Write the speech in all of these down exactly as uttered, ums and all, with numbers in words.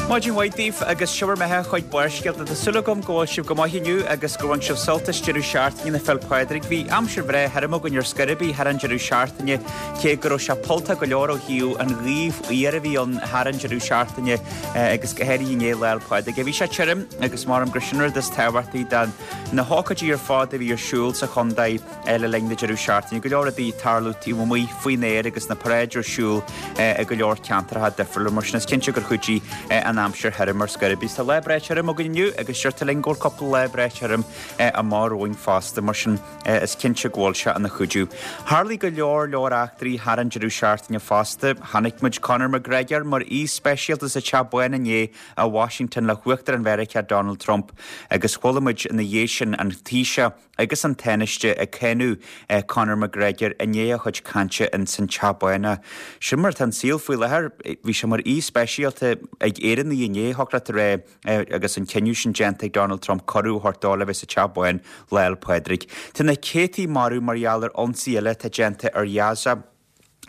Maidin mhaith daoibh agus seo bhur mbeatha chuig Barrscéalta. Tá súil agam go bhfuil sibh go maith inniu agus go bhain sibh sult as deireadh seachtaine na Féile Pádraig. Bhí aimsir bhreá thirim againn ar scor ar bith thar an deireadh seachtaine, cé go raibh sé polltach go leor ó thaobh an ghaoth fhuar a bhí ann thar an deireadh seachtaine agus go háirithe inné Lá 'le Pádraig. Bhí sé tirim agus measaim gur sin rud is tábhachtaí de na hócáidí ar fad a bhí ar siúl sa chontae le linn na deireadh seachtaine. Go leor rudaí ag tarlú taobh amuigh faoin aer agus na paráidí ar siúl i go leor ceantracha difriúla mar sin is cinnte gur chuidigh an aimsir thirim ar scor ar bith. Tá lá breá tirim againn inniu agus deirtear linn go bhfuil cúpla lá breá tirim amach romhainn fosta mar sin is cinnte go bhfuil sé ina chuidiú. Tharlaigh go leor leor eachtraí thar an deireadh seachtaine fosta. Chonaic muid Conor McGregor mar aoi speisialta sa Teach Bán inné i Washington le hUachtarán Mheiriceá Donald Trump agus chuala muid ina dhiaidh sin an Taoiseach agus an Tánaiste ag cáineadh Conor McGregor i ndiaidh a chuid cainte in san Teach Bán. Sin mar atá an saol faoi láthair. Bhí sé mar aoi speisialta ag Éireannaigh inné thiocfadh leat a rá agus an cinneadh sin déanta ag Donald Trump cuireadh a thabhairt dó le bheith sa Teach Bán Lá 'le Pádraig. Tá na céadtaí marbh mar gheall ar ionsaí eile atá déanta ar Ghaza.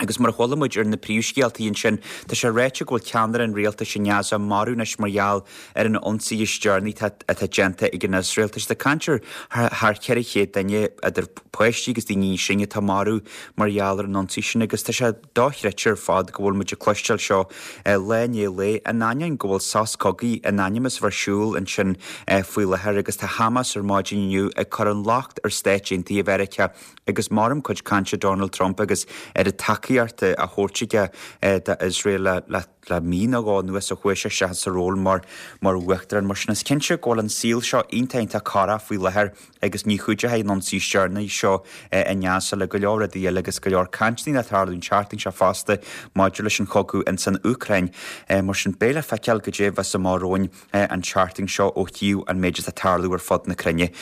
Agus mar a chuala muid ar na príomhscéaltaí ansin, tá sé ráite go bhfuil ceannaire an rialtais i nGaza marbh anois mar gheall ar an ionsaí is deireanaí atá déanta ag an Iosrael. Tá siad ag caint ar thar ceithre chéad duine, idir páistí agus daoine níos sine, atá marbh mar gheall ar an ionsaí sin agus tá sé dochreidte ar fad go bhfuil muid ag cloisteáil seo lá i ndiaidh lae, in ainneoin go bhfuil sos cogaidh in ainm is a bheith ar siúl ansin faoi láthair agus tá Hamas ar maidin inniu ag cur an locht ar Stáit Aontaithe Mheiriceá agus maram cuid cainte Donald Trump agus ar an tacaíocht a thabhairt aige d'Iosrael le le le mí nó dhó anuas ó chuaigh sé isteach sa ról mar mar uachtarán. Mar sin is cinnte go bhfuil an saol seo iontach iontach corrach faoi láthair agus ní chuideoidh an ionsaí is deireanaí seo i nGaza le go leor rudaí eile agus go leor cainteanna le tarlú an tseachtain seo fosta maidir leis an chogadh ins an Úcráin. Mar sin beidh le feiceáil goidé a bheas amach romhainn an tseachtain seo ó thaobh an méid atá ag tarlú ar fud na cruinne.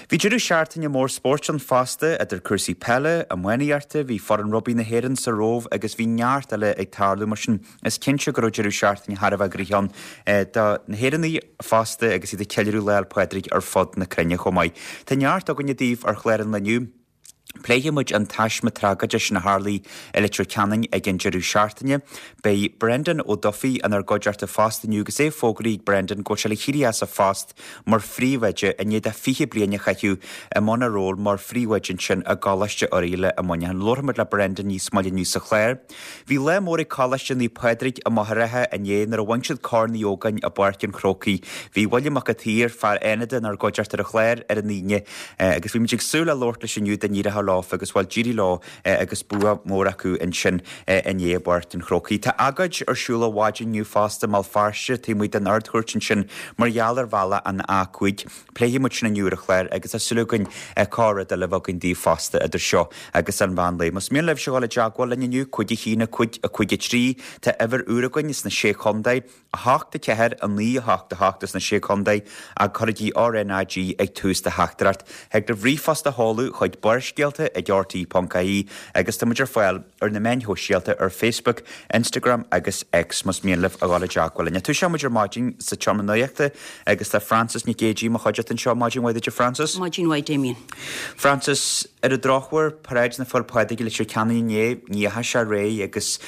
Bhí deireadh seachtaine mór spóirt ann fosta, idir cúrsaí peile, iománaíochta, bhí foireann rugbaí na hÉireann sa Róimh agus bhí neart eile ag tarlú mar sin is cinnte go raibh deireadh seachtaine thar a bheith gnoitheach ann do na hÉireannaigh fosta agus iad ag ceiliúradh Lá 'le Pádraig ar fud na cruinne chomh maith. Tá neart againne daoibh ar chlár an lae inniu. Pléifidh muid an taisme tragóideach sin a tharlaigh i Leitir Ceanainn ag an deireadh seachtaine. Beidh Brendan Ó Dufaigh inár gcuideachta fosta inniu agus é fógraithe ag Brendan go bhfuil sé le héirí as a phost mar phríomhoide i ndiaidh dó fiche bliain a chaitheamh i mbun a ról mar phríomhoide ansin i gColáiste Oirialla i Muineachán. Labharfaidh muid le Brendan níos moille inniu sa chlár. Bhí lá mór ag Coláiste Naomh Pádraig i Machaire Rátha inné nuair a bhain siad Corn Uí Ógáin i bPáirc an Chrócaigh. Bhí William Mac an tSaoir, fear Fhánada, inár gcuideachta ar an chlár ar an Aoine agus bhí muid ag súil le labhairt leis inniu dá n-éireodh leofa agus bhuel d'éirigh leo agus bua mór acu ansin inné i bPáirc an Chrócaigh. Tá agóid ar siúl ar maidin inniu fosta i mBéal Feirste taobh amuigh den Ard-Chúirt ansin mar gheall ar bhealach an A cúig. Pléifidh muid sin inniu ar an chlár agus tá súil againn corr-rud eile a bheith againn daoibh fosta idir seo agus an mheán lae. Más mian libhse dhul i dteagmháil linn inniu, cúig a haon, a cúig, a cúig a trí, tá uimhir úr againn sna Sé Chontae, a hocht, a ceathair, a naoi, a hocht, a hocht sna Sé Chontae ach cuirigí RnaG ag tús do theachtaireacht. Thig libh ríomhphost a sheoladh chuig barrscéalta ag rte ponc ie agus tá muid ar fáil ar na meáin shóisialta ar Facebook, Instagram agus X más mian libh a dhul i dteagmháil linn. Toiseoidh muid ar maidin sa tseomra nuachta agus tá Frances Nic Géadaigh i mo chuideachta anseo. Maidin mhaith duit a Frances. Maidin mhaith Damien. Frances, ar an drochuair, paráid na Féile Pádraig i Leitir Ceanainn inné, ní dheachaigh sé ar aghaidh agus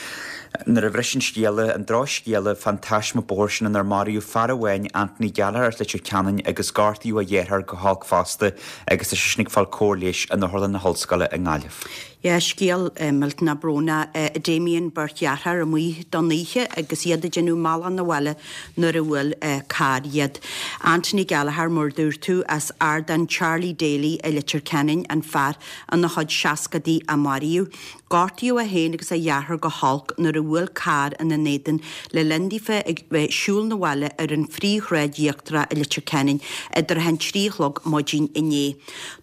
nuair a bhris an scéala, an drochscéala fán taisme bóthair sin inar maraíodh fear amháin, Anthony Gallagher as Leitir Ceanainn agus gortaíodh a dheartháir go holc fosta agus tá seisean ag fáil cóir leighis in Otharlann na hOllscoile i nGaillimh. Yeah, scéal millteanach brónach. Damien, beirt dheartháir amuigh don oíche agus iad ag déanamh a mbealach 'na bhaile nuair a bhuail carr iad. Anthony Gallagher, mar a dúirt tú, as Ardán Charlie Daly i Leitir Ceanainn, an fear ina chuid seascadaí a maraíodh. Gortaíodh é féin agus a dheartháir go holc nuair a bhuail carr ina n-éadan le linn daofa ag bheith siúl 'na bhaile ar an phríomhshráid íochtarach i Leitir Ceanainn idir a haon trí a chlog maidin inné.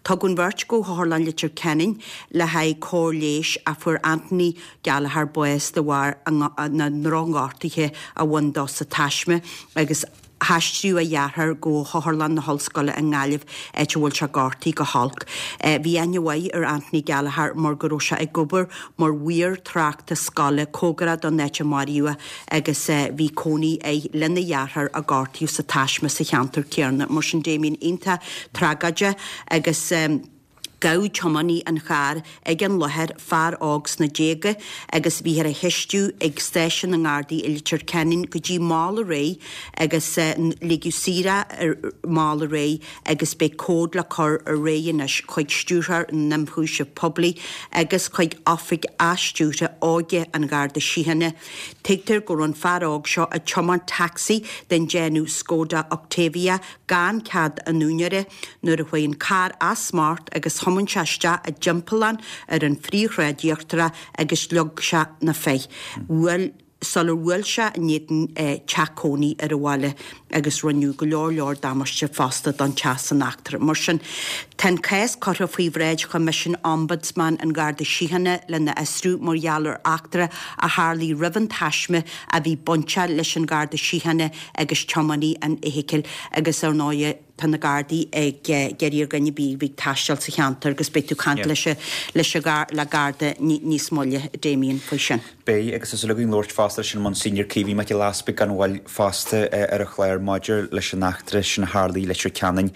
Tugadh an bheirt go hOtharlann Leitir Ceanainn le haghaidh cóir leighis ach fuair Anthony Gallagher bás de bharr na ndrochghortuithe a bhain dó sa taisme agus haistríodh a dheartháir go hOtharlann na hOllscoile i nGaillimh, áit a bhfuil sé gortaithe go holc. Bhí aithne mhaith ar Anthony Gallagher mar go raibh sé ag obair mar mhaor tráchta scoile cóngarach don áit a maraíodh é agus bhí cónaí air lena dheartháir a gortaíodh sa taisme sa cheantar céanna. Mar sin Damien, iontach tragóideach agus. Gabhadh tiománaí an chairr ag an láthair, fear óg sna déaga, agus bhíothar á cheistiú ag stáisiún na nGardaí i Leitir Ceanainn go dtí mall aréir agus ligeadh saor é mall aréir agus beidh comhad le cur ar aghaidh anois chuig Stiúrthóir na nIomchúiseamh Poiblí agus chuig Oifig Athstiúrtha Óige an Gharda Síochána. Tuigtear go raibh an fear óg seo ag tiomáint tacsaí den déanamh Skoda Octavia gan cead an úinéara nuair a chuaigh an carr as smacht agus thiomáin sé isteach i dtimpeallán ar an phríomhshráid íochtarach agus leag sé na féich. Bhuail sular bhuail sé in éadan teach cónaí ar an bhaile agus rinneadh go leor leor damáiste fosta don teach san eachtra. Mar sin, tá an cás curtha faoi bhráid Choimisiún Ombudsman an Gharda Síochána lena fhiosrú mar gheall ar eachtra a tharlaigh roimh an taisme a bhí bainteach leis an Gharda Síochána agus tiománaí an fheithicil agus ar ndóigh tá na Gardaí ag iarraidh ar dhuine ar bith a bhí ag taisteal sa cheantar agus beidh tú ag caint leis leis le Garda níos moille, Damien, faoi sin. Beidh, agus tá súil againn labhairt fosta leis an Monsignor Caoimhín Mac Giolla Easpaig gan mhoill fosta ar an chlár maidir leis an eachtra sin a tharlaigh i Leitir Ceanainn.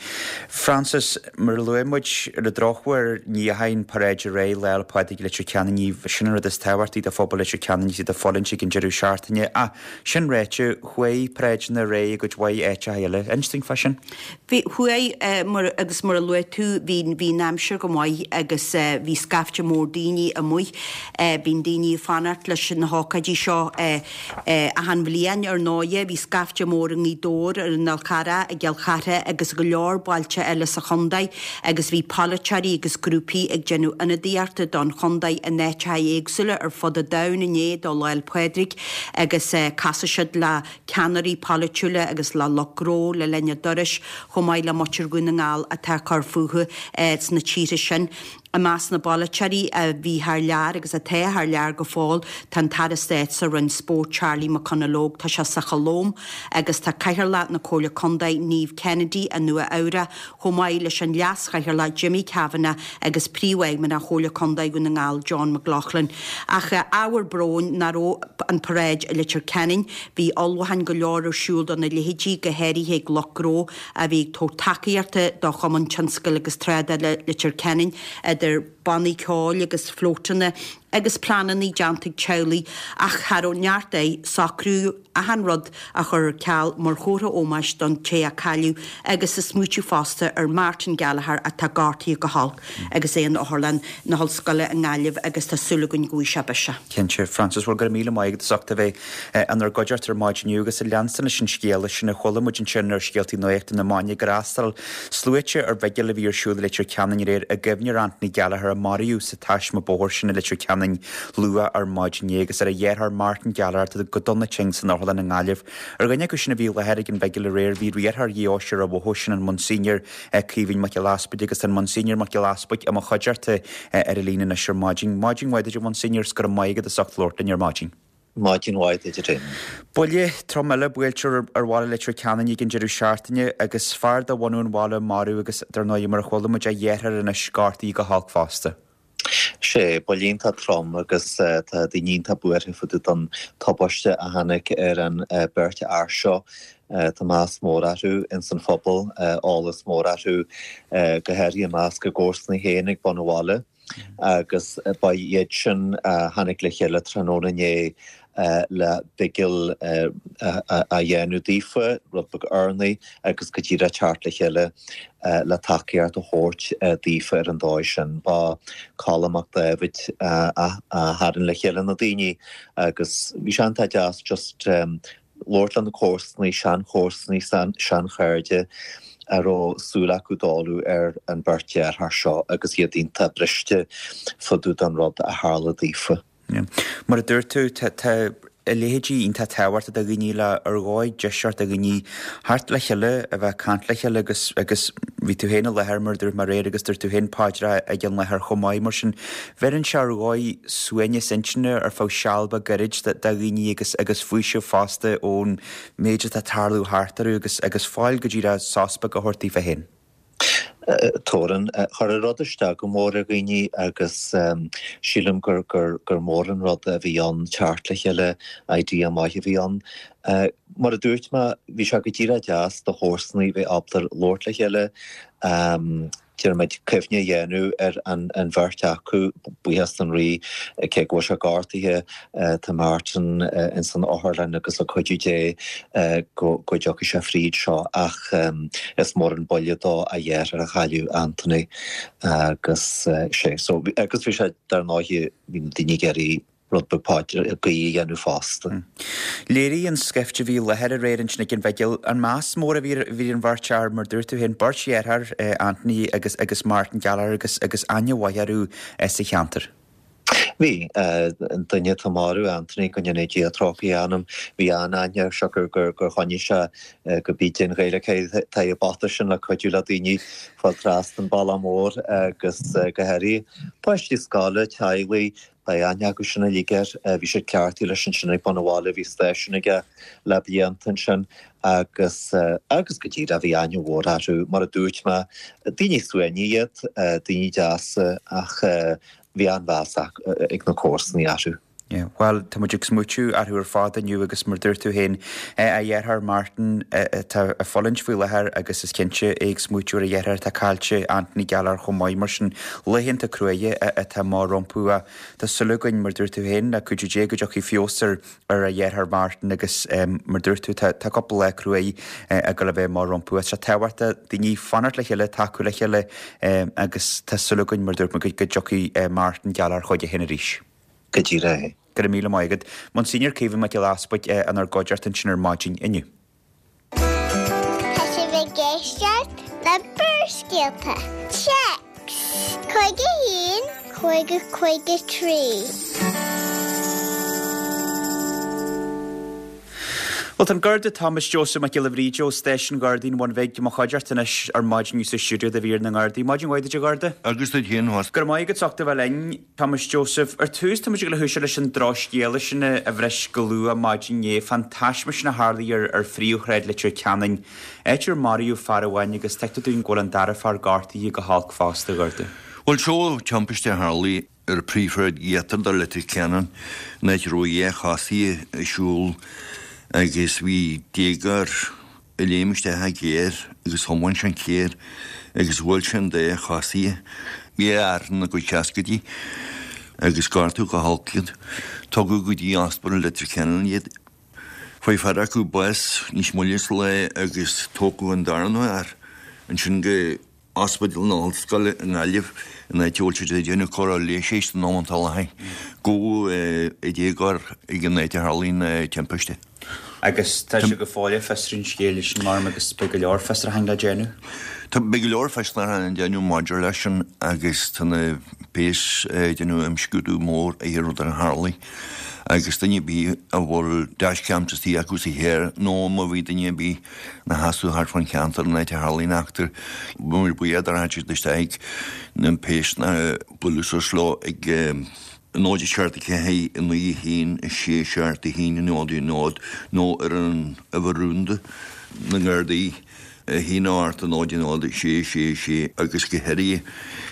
Frances, mar a luaigh muid, ar an drochuair ní dheachaigh an paráid ar aghaidh Lá 'le Pádraig i Leitir Ceanainn, ní sin an rud is tábhachtaí do phobal Leitir Ceanainn is iad ag fulaingt ag an deireadh seachtaine. Ach sin ráite, chuaigh paráideanna ar aghaidh i gcuid mhaith áiteacha eile. Inis dúinn fá sin. Bhí, chuaigh, mar, agus mar a luaigh tú, bhí, bhí an aimsir go maith agus bhí scaifte mór daoine amuigh. Bíonn daoine ag fanacht leis na hócáidí seo achan bhliain, ar ndóighe. Bhí scaifte mór i nGaoth Dobhair, ar an Fhál Carrach, i gCill Chartha agus i go leor bailte eile sa chontae agus bhí polaiteoirí agus grúpaí ag déanamh ionadaíochta don chontae in áiteacha éagsúla ar fud an domhain inné do Lá 'le Pádraig agus casfaidh siad le ceannairí polaitiúla agus le lucht gnó le linn a dturais, chomh maith le muintir Dhún na nGall atá ag cur fúthu sna tíortha sin. I measc na bpolaiteoirí a bhí thar lear agus atá thar lear go fóill tá an tAire Stáit sa Roinn Spóirt Charlie McConalogue, tá sé sa Cholóim, agus tá Cathaoirleach na Comhairle Contae Niamh Kennedy i Nua Eabhrac, chomh maith leis an Leas-Chathaoirleach Jimmy Kavanagh agus Príomhfheidhmeannach Chomhairle Contae Dhún na nGall John McLaughlin. Ach ábhar bróin nach raibh an paráid i Leitir Ceanainn. Bhí ullmhúcháin go leor ar siúl dona leithéidí, go háirithe ag lucht gnó a bhí ag tabhairt tacaíochta do Chumann Tionscail agus Trádála Leitir Ceanainn, idir bannaí ceoil agus flótanna agus pleananna déanta ag teaghlaigh ach cha raibh neart air socraíodh achan rud a chur ar ceal mar chomhartha ómóis don té a cailleadh agus ag smaoitiú fosta ar Martin Gallagher atá gortaithe go holc agus é in otharlann na hOllscoile i nGaillimh agus tá súil againn go bhfaighidh sé biseach. Cinnte, Frances, bhuel go raibh míle maith agat as ucht a bheith inár gcuideachta ar maidin inniu agus ag leanstan leis an scéala sin a chuala muid ansin ar scéaltaí nuachta na maidine gur fhreastail sluaite ar bhigil a bhí ar siúl i Leitir Ceanainn aréir i gcuimhne ar Anthony Gallagher a maraíodh sa taisme bóthair sin i Leitir Ceanainn luath ar maidin inné agus ar a dheartháir Martin Gallagher atá go dona tinn san otharlann i nGaillimh. Ar dhuine acu sin a bhí i láthair ag an bhigil aréir bhí riarthóir Dheoise Ráth Bhoth, sin an Monsignor Caoimhín Mac Giolla Easpaig agus tá an Monsignor Mac Giolla Easpaig i mo chuideachta ar an líne anois ar maidin. Maidin mhaith duit a Mhonseigneur is go raibh maith agat as ucht labhairt linn ar maidin. Maidin mhaith duit a Damien. Buille trom eile buailte ar bhaile Leitir Ceanainn ag an deireadh seachtaine agus fear de bhunadh an bhaile marbh agus dar ndóigh mar a chuala muid a dheartháir anois gortaithe go holc fosta. Sé, buille iontach trom agus tá daoine iontach buartha fá dtaobh don tubaiste a tháinig ar an beirt fhear seo. Tá meas mór orthu ins an phobal, eolas mór orthu, go háirithe i measc a gcomharsana féin ag bun an bhaile. Agus ba iad sin a tháinig le chéile tráthnóna inné le bigil a dhéanamh daofa, rud beag urnaí agus go díreach teacht le chéile le tacaíocht a thabhairt daofa ar an dóigh sin. Ba Colm Mac Dáibhid a tharraing le chéile na daoine agus bhí sé iontach deas just labhairt le na comharsanaí, seanchomharsanaí, seanchairde a raibh súil acu dáileadh ar an beirt deartháir seo agus iad iontach briste fá dtaobh den rud a tharla daofa. Mar a dúirt tú, tá a leithéidí iontach tábhachtach do dhaoine le ar dhóigh deiseart do dhaoine theacht le chéile, a bheith ag caint le chéile agus agus bhí tú féin i láthair mar a dúirt mé aréir agus dúirt tú féin paidreacha ag an láthair chomh maith. Mar sin, bheireann sé ar dhóigh suaimhneas intinne ar feadh seal beag gairid do dhaoine agus agus faoiseamh fosta ón méid atá ag tarlú thart orthu agus agus fáil go díreach sos beag a thabhairt daofa féin. Tabharann. Chuir an rud isteach go mór ar dhaoine agus sílim gur gur mór an rud a bhí ann teacht le chéile, idea maith a bhí ann. Mar a dúirt mé, bhí sé go díreach deas do chomharsanaí bheith ábalta labhairt le chéile, Déarfaimid cuimhne a dhéanamh ar an an bheirt acu, buíochas don Rí, cé go bhfuil sé gortaithe, tá Martin ins an otharlann agus le cuidiú Dé go go dtiocfaidh sé fríd seo ach is mór an buille dó a dheartháir a chailleadh, Anthony, agus sé so agus bhí sé dar ndóigh bhí na daoine ag iarraidh rud beag paidir, guí a dhéanamh fosta. Léirigh an scaifte a bhí i láthair aréir ansin ag an bhigil an meas mór a bhí ar an bheirt fhear, mar dúirt tú féin, beirt dheartháir, Anthony agus agus Martin Gallagher agus agus aithne mhaith orthu sa cheantar. Bhí. An duine atá marbh, Anthony, go ndéana Dia trócaire dá anam, bhí an-aithne air siocair gur gur choinnigh sé go bídeach an Ghaeilge tá an bata sin le cuidiú le daoine fáil trasna an bealach mór agus go háirithe páistí scoile, teaghlaigh, Beidh aithne acu sin uilig air. Bhí siad cleachtaithe leis ansin ag bun an bhaile, bhí stáisiún aige le blianta ansin agus, agus go díreach bhí aithne mhór orthu. Mar a dúirt mé, daoine suaimhneacha iad, daoine deasa ach bhí an-mheas ag na comharsanaí orthu. Yeah, bhuel, tá muid ag smaoitiú orthu ar fad inniu agus mar dúirt tú féin, a dheartháir Martin atá ag fulaingt faoi láthair agus is cinnte é ag smaoitiú ar a dheartháir atá caillte, Anthony Gallagher chomh maith. Mar sin, laethanta cruaidhe atá amach rompu ach tá súil againn, mar dúirt tú féin, le cuidiú Dé go dtiocfaidh feabhas ar ar a dheartháir Martin agus mar dúirt tú, tá tá cúpla lá cruaidh ag dul a bheith amach rompu. Tá sé tábhachtach daoine fanacht le chéile, tacú le chéile agus tá súil againn, mar dúirt mé, go dtiocfaidh Martin Gallagher chuige féin arís. Go díreach é. Go raibh míle maith agat. Monsignor Caoimhín Mac Giolla Easbuig inár gcuideachta ansin ar maidin inniu. Tá sibh ag éisteacht le Barrscéalta. Téacs cúig a haon, cúig a cúig a trí. Bhuel, tá an Garda Thomas Joseph Mac Giolla Bhríde ó Stáisiún Ghardaí an Bhun Bhig i mo chuideachta anois ar maidin inniu sa stiúideo do mhír na nGardaí. Maidin mhaith duit, a Gharda. Agus duit féin fosta. Go raibh maith agat as ucht a bheith linn, Thomas Joseph. Ar tús, tá muid ag dul a thoiseacht leis an drochscéala sin a bhris go luath maidin inné fán taisme sin a tharlaigh ar ar phríomhshráid Leitir Ceanainn, áit ar maraíodh fear amháin agus tuigtear dúinn go bhfuil an dara fear gortaithe go holc fosta, a Gharda. Bhuel, seo timpiste a tharlaigh ar phríomhshráid íochtar de Leitir Ceanainn, an áit a raibh dhá chosaí ag siúl agus bhí déagóir ag léim isteach i gcarr agus thiomáin sé an carr agus bhuail sé an dá chosaí. Bhí fear ina gcuid seascaidí agus gortaíodh go holc iad. Tugadh go dtí Ospidéal Leitir Ceanainn iad. Fuair fear acu bás níos moille sa lá agus tógadh an darna fear ansin go Ospidéal na hOllscoile i nGaillimh, an áit a bhfuil siad ag déanamh cóireáil leighis ag an am atá i láthair. Gabhadh an déagóir ag an áit a tharlaigh an timpiste. Agus tá sé go fóill ag fiosrú an scéil sin, mar agus beidh go leor fiosrúcháin le déanamh. Tá, beidh go leor fiosrúcháin le déanamh maidir leis sin agus tá na péas ag déanamh imscrúdú mór ar an rud a tharlaigh agus duine ar bith a bhfuil dashcam istigh acu sa charr nó má bhí duine ar bith ina sheasamh thart fán cheantar an áit a tharlaigh an eachtra. Bheadh muid buíoch dá rachadh siad isteach ag na péas ná bualadh suas leo ag náid a seacht a ceathair a naoi a haon a sé seacht a haon náid a náid nó ar an uimhir rúnda na nGardaí a haon a hocht a náid a náid a sé sé sé agus go háirithe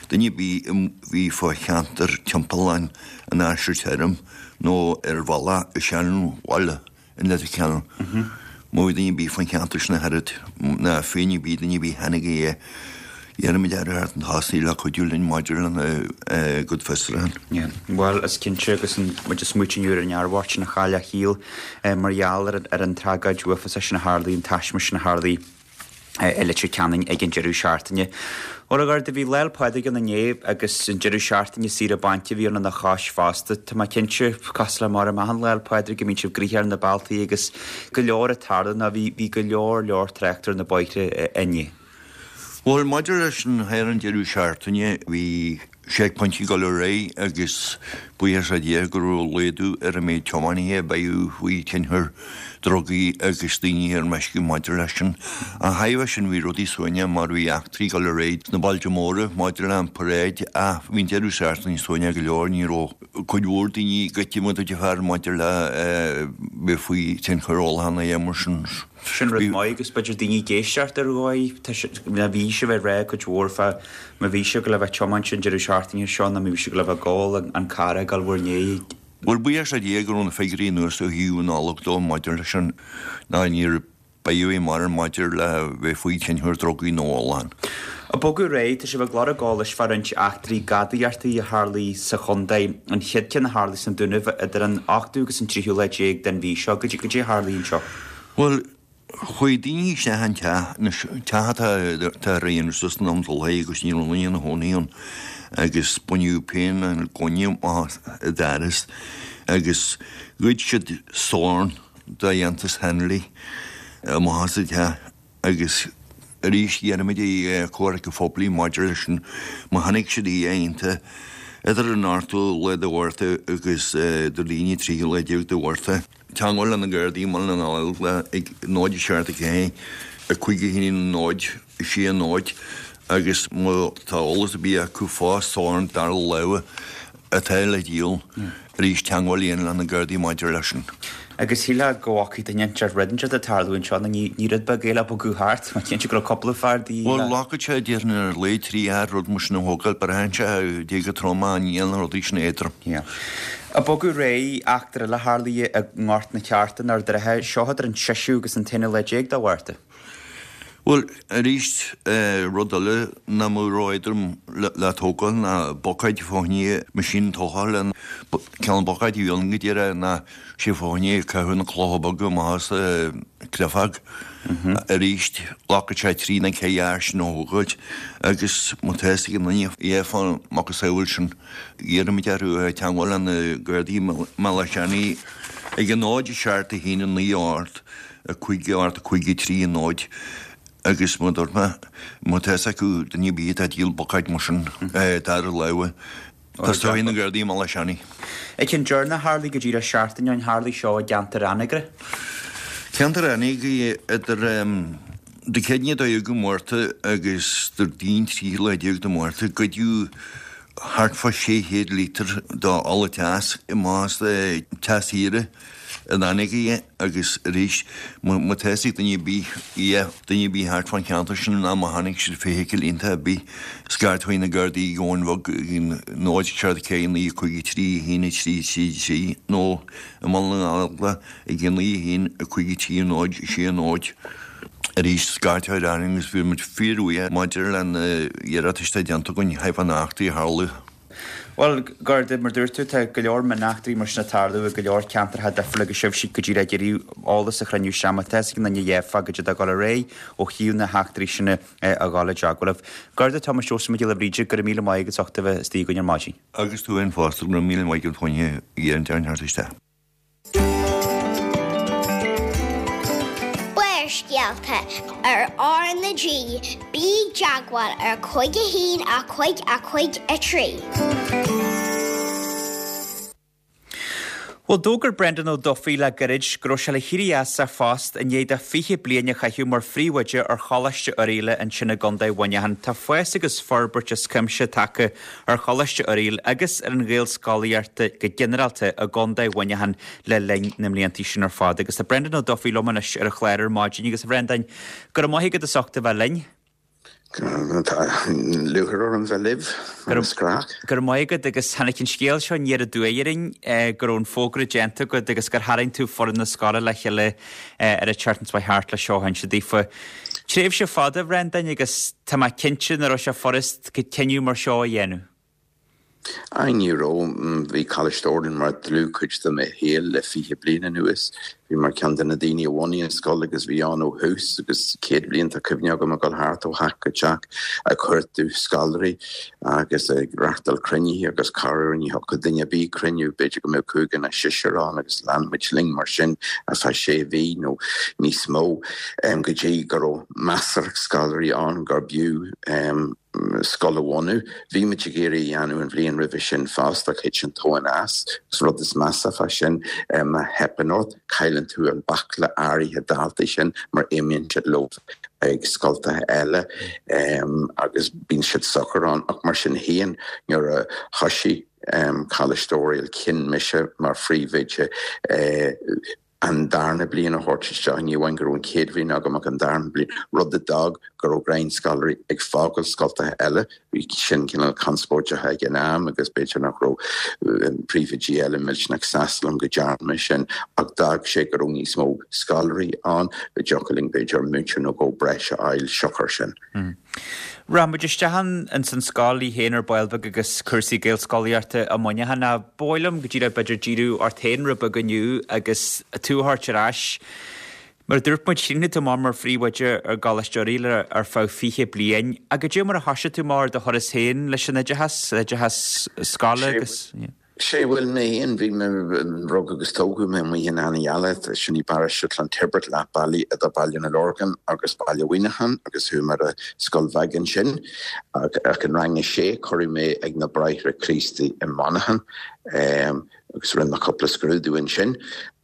duine ar bith a bhí fá cheantar timpeall an Aistir Tirim nó ar bhealach an Seanbhaile in Leitir Ceanainn. Má bhí duine ar bith fán cheantar sin a throid, ná féinne ar bith, duine ar bith a chonaic é, iarraimid air a theacht chun tosaigh le cuidiú linn maidir lena gcuid fiosrúchán. Yeah. Bhuel, is cinnte agus muid ag smaoitiú inniu ar an fhear bocht sin a chaill a shaol mar gheall ar an tragóid uafásach sin a tharlaigh, an taisme sin a tharlaigh. i Leitir Ceanainn ag an deireadh seachtaine. Bhuel, a Gharda, bhí Lá 'le Pádraig ann inné agus an deireadh seachtaine saoire bainc a bhí ann lena chois fosta. Tá mé cinnte, cosúil le mar achan Lá 'le Pádraig, go mbíonn sibh gnoitheach ar na bealtaí agus go leor ag tarlú nó bhí bhí go leor leor trácht ar na bóithre inné. Bhuel, maidir leis an thar an deireadh seachtaine, bhí seicphointí ag dul ar aghaidh agus buíochas le Dia go raibh laghdú ar an méid tiománaithe a bheadh faoi thionchar drugaí agus daoine ar meisce maidir leis sin. Ach thairis sin bhí rudaí suaimhneach mar bhí eachtraí ag dul ar aghaidh sna bailte móra maidir le an paráid ach bhí an deireadh seachtaine suaimhneach go leor, ní raibh cuid mhór daoine goite mar a déarfá maidir le bheith faoi thionchar ólacháin nó a dhath mar sin. Sin rud maith agus b'fhéidir daoine ag éisteacht ar dhóigh, tá sé, má bhí sibh ag rá cuid mhór fá má bhí sibh ag gabháil a bheith ag tiomáint an deireadh seachtaine seo nó má bhí sibh ag gabháil a bheith ag ól an carr a fhágáil bhur ndiaidh. Bhuel, buíochas le Dia go raibh na figiúirí anuas ó thaobh an Nollag dó maidir leis sin ná níor b'fhéidir mar maidir le bheith faoi thionchar drugaí nó ólacháin. Ag bogadh ar aghaidh, tá sibh ag lorg eolais fá roinnt eachtraí gadaíochta a tharlaigh sa chontae, an chéad ceann a tharlaigh san Dúnaibh idir an ochtú agus an tríú lá déag den mhí seo. Goidé a tharlaigh anseo? Bhuel, chuaigh daoine isteach an teach, anois, teach atá atá ar aon suas san am dul agus ní raibh aon duine ina chónaí ann agus baineadh pian an ghloine amach an doras agus ghoid siad sorn de dhéantús Henley amach as an teach agus arís iarraimid ar Chomhairle Phoiblí maidir leis sin, má chonaic siad a dhath idir an ochtú lá de Mhárta agus Déardaoin an tríú lá déag de Mhárta. Teagmháil le na Gardaí i mBaile na nGallóglach ag náid a seacht a ceathair a cúig a haon náid a sé náid agus má tá eolas ar bith acu fá sorn dara láimhe atá le díol, arís teagmháil a dhéanamh le na Gardaí maidir leis sin. Agus shílfeá go bhfacaidh duine inteacht rud inteacht ag tarlú anseo, nó ní ní rud beag é le bogadh thart, mar cinnte go raibh cúpla fear de dhíth Bhuel, ghlacfadh sé déarfainn ar a laghad trí fhear rud mar sin a thógáil, braitheann sé cé chomh trom ach níl na rudaí sin éadrom. Yeah. Ag bogadh ar aghaidh, eachtra eile a tharlaigh i nGort na Ceárta in Ard an Rátha, seo idir an seisiú agus an t-aonú lá déag de Mhárta. Bhuel, arís, rud eile nach mbeadh ró-éadrom le tógáil ná buicéid fá choinne meaisín tochailte. Cineál buicéid a bhí ann go díreach ná sé fá choinne caitheamh na clocha beaga amach as an chreafóg. Arís, ghlacfadh sé trí nó ceithre fhear sin a thógáilt agus má tá fhios ag aon duine a dhath fán macasamhail sin, iarraimid orthu teagmháil le na Gardaí i mBealach Átha Seanaidh ag a náid a seacht a haon a naoi a hocht a cúig a hocht a cúig a trí a náid agus mar a dúirt mé, má tá fhios acu duine ar bith atá ag díol buicéid mar sin dara láimhe, tosóidh na Gardaí i mBealach Átha Seanaidh. An ceann deireanach a tharlaigh go díreach seachtain ó shin, tharlaigh seo i gceantar Anagaire. Ceantar Anagaire idir Dé Céadaoine a dó dhéag de Mhárta agus Déardaoin tríú lá déag de Mhárta, goideadh thart fá sé chéad lítear d'ola teas amach as teach saoire in Anagaire agus arís má tá fhios ag duine ar bith a dhath, duine ar bith thart fán cheantar sin ná má chonaic siad feithicil iontach ar bith, scairt chuig na Gardaí i gCabhán Bheag ag náid seacht ceathair naoi cúig trí haon a trí trí trí nó i mBaile na nGallóglach ag a naoi a haon a cúig trí náid sé náid. Arís scairt orainn agus bhí muid fíorbhuíoch maidir le na hiarratais atá déanta againn thart fá na heachtraí a tharla. Bhuel, Garda, mar dúirt tú, tá go leor mioneachtraí mar sin ag tarlú i go leor ceantracha difriúla agus sibhse go díreach ag iarraidh eolas a chruinniú isteach má tá fhios ag aon duine a dhath fá goidé atá ag dul ar aghaidh ó thaobh na heachtraí sin a dhul i dteagmháil libh. Garda Tomás Seosamh Mac Giolla Bhríde, go raibh míle maith agat as ucht a bheith istigh againn ar maidin. Agus tú féin fosta, go raibh míle maith agat fá choinne iarraidh an teacht isteach. Barrscéalta ar R na G, bí i dteagmháil ar cúig a haon a cúig a cúig a trí. Bhuel, d'fhógair Brendan Ó Dufaigh le gairid go raibh sé le héirí as a phost i ndiaidh dó fiche bliain a chaitheamh mar phríomhoide ar Choláiste Oirialla ansin i gContae Mhuineacháin. Tá fás agus forbairt as cuimse tagtha ar Choláiste Oiriall agus ar an Ghaelscolaíocht go ginearálta i gContae Mhuineacháin le linn na mblianta sin ar fad. Agus tá Brendan Ó Dufaigh liom anois ar an chlár ar maidin agus a Bhrendáin, go raibh maith agat as ucht a bheith linn. Tá lúcháir orm bheith libh agus craic. Go raibh maith agat agus tháinig an scéal seo aniar aduaidh orainn go raibh an fógra déanta agat agus gur tharraing tú foireann na scoile le chéile ar an tseachtain seo thart le seo a inse daofa. Tréimhse fada, a Bhrendáin, agus tá mé cinnte nach raibh sé furast cinneadh mar seo a dhéanamh. Aye, ní raibh. Bhí Coláiste Oiriall mar dlúthchuid de mo shaol le fiche bliain anuas. Bhí mar ceann de na daoine a bhunaigh an scoil agus bhí ann ó thús agus céad bliain tá cuimhne agam ag dul thart ó theach go teach ag cuartú scoláirí agus ag reachtáil cruinnithe agus corruair ní thiocfadh duine ar bith cruinniú, b'fhéidir go mbeadh cúigear nó seisear ann agus lean muid linn mar sin ar feadh sé mhí nó níos mó go dtí go raibh measartha scoláirí ann gur b'fhiú scoil a bhunú. Bhí muid ag iarraidh a dhéanamh an bhliain roimhe sin fosta ach thit an tóin as. Agus rud is measa fá sin, má theipeann ort, cailleann tú an baicle áirithe daltaí sin mar imíonn siad leo ag scoltacha eile agus bíonn siad socair ann. Ach mar sin féin, nuair a thoisigh Coláiste Oiriall, chinn mise mar phríomhoide an darna bliain a thabhairt isteach, ní amháin go raibh an chéad bhliain agam ach an darna bliain, rud a d'fhág go raibh roinnt scoláirí ag fágáil scoltacha eile. Bhí sin cineál conspóideach ag an am agus b'fhéidir nach raibh príomhoidí eile millteanach sásta liom go ndearna mé sin ach d'fhág sé go raibh níos mó scoláirí ann, go dtiocfadh linn b'fhéidir múinteoir nó dhó breise a fháil siocair sin. Rachaidh muid isteach ins an scoil í féin ar ball beag agus cúrsaí Gaelscolaíochta i Muineachán ach ba mhaith liom go díreach b'fhéidir díriú ort féin rud beag inniu agus tú a thabhairt ar ais. Mar a dúirt muid, chríochnaigh tú amach mar phríomhoide ar gColáiste Oirialla ar feadh fiche bliain. Ach goidé mar a thoisigh tú amach ar do thuras féin leis an oideachas, oideachas scoile agus. Sé bhuel mé féin, bhí mé, rugadh agus tógadh mé amuigh in Annaghheala, sin í paróiste Clontibret, leath bealaigh idir Baile na Lorgan agus Baile Mhuineacháin agus chuaigh mé ar an scoil bheag ansin ach in rang a sé cuireadh mé ag na Bráithre Críostaí i Monaghan agus rinne mé cúpla scrúdú ansin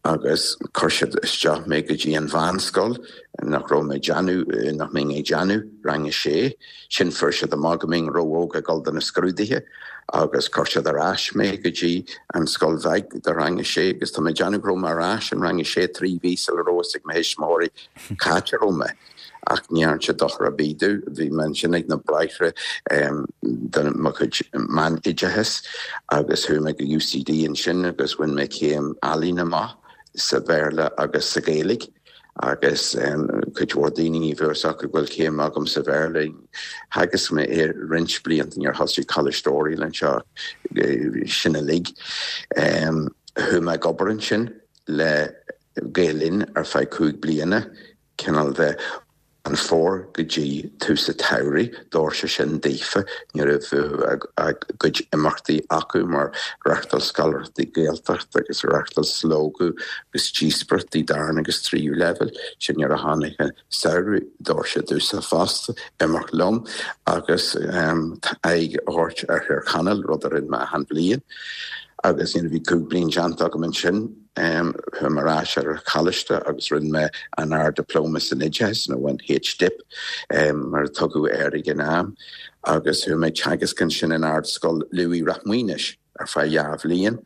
agus chuir siad isteach mé go dtí an mheánscoil nach raibh mé ag déanamh, nach mbeinn ag déanamh rang a sé. Sin fuair siad amach go mbeinn ró-óg ag dul do na scrúduithe agus chuir siad ar ais mé go dtí an scoil bheag do rang a sé agus tá mé ag déanamh go raibh mé ar ais in rang a sé trí mhí sula raibh fhios ag mo thuismitheoirí cá háit a raibh mé. Ach ní dhearna sé dochar ar bith domh. Bhí mé ansin ag na Bráithre do mo chuid meánoideachais agus chuaigh mé go UCD ansin agus bhain mé céim ealaíne amach sa Bhéarla agus sa Ghaeilge agus cuid mhór daoine ní bheadh fhios acu go bhfuil céim agam sa Bhéarla. Theagasc mé é roinnt blianta nuair a thosaigh Coláiste Oiriall anseo sin uilig. Chuaigh mé ag obair ansin le Gael Linn ar feadh cúig bliana, cineál de an fómhar go dtí tús an tsamhraidh, d'fhóir sé sin daofa, ní raibh a gcuid imeachtaí acu mar reachtáil scoláireachtaí Gaeltachta agus reachtáil slógadh agus díospóireachtaí darna agus tríú leibhéal. Sin nuair a tháinig an samhradh, d'fhóir sé domhsa fosta imeacht liom agus aghaidh a thabhairt ar Thír Chonaill, rud a rinne mé achan bhliain. Agus nuair a bhí cúig bliain déanta agam ansin, Chuaigh mé ar ais ar an choláiste agus rinne mé an Ard-Dioplóma san Oideachas, nó an H-Dip mar a tugadh air ag an am, agus chuaigh mé ag teagasc ansin in Ardscoil Louis Ráth Maonais ar feadh dhá bhliain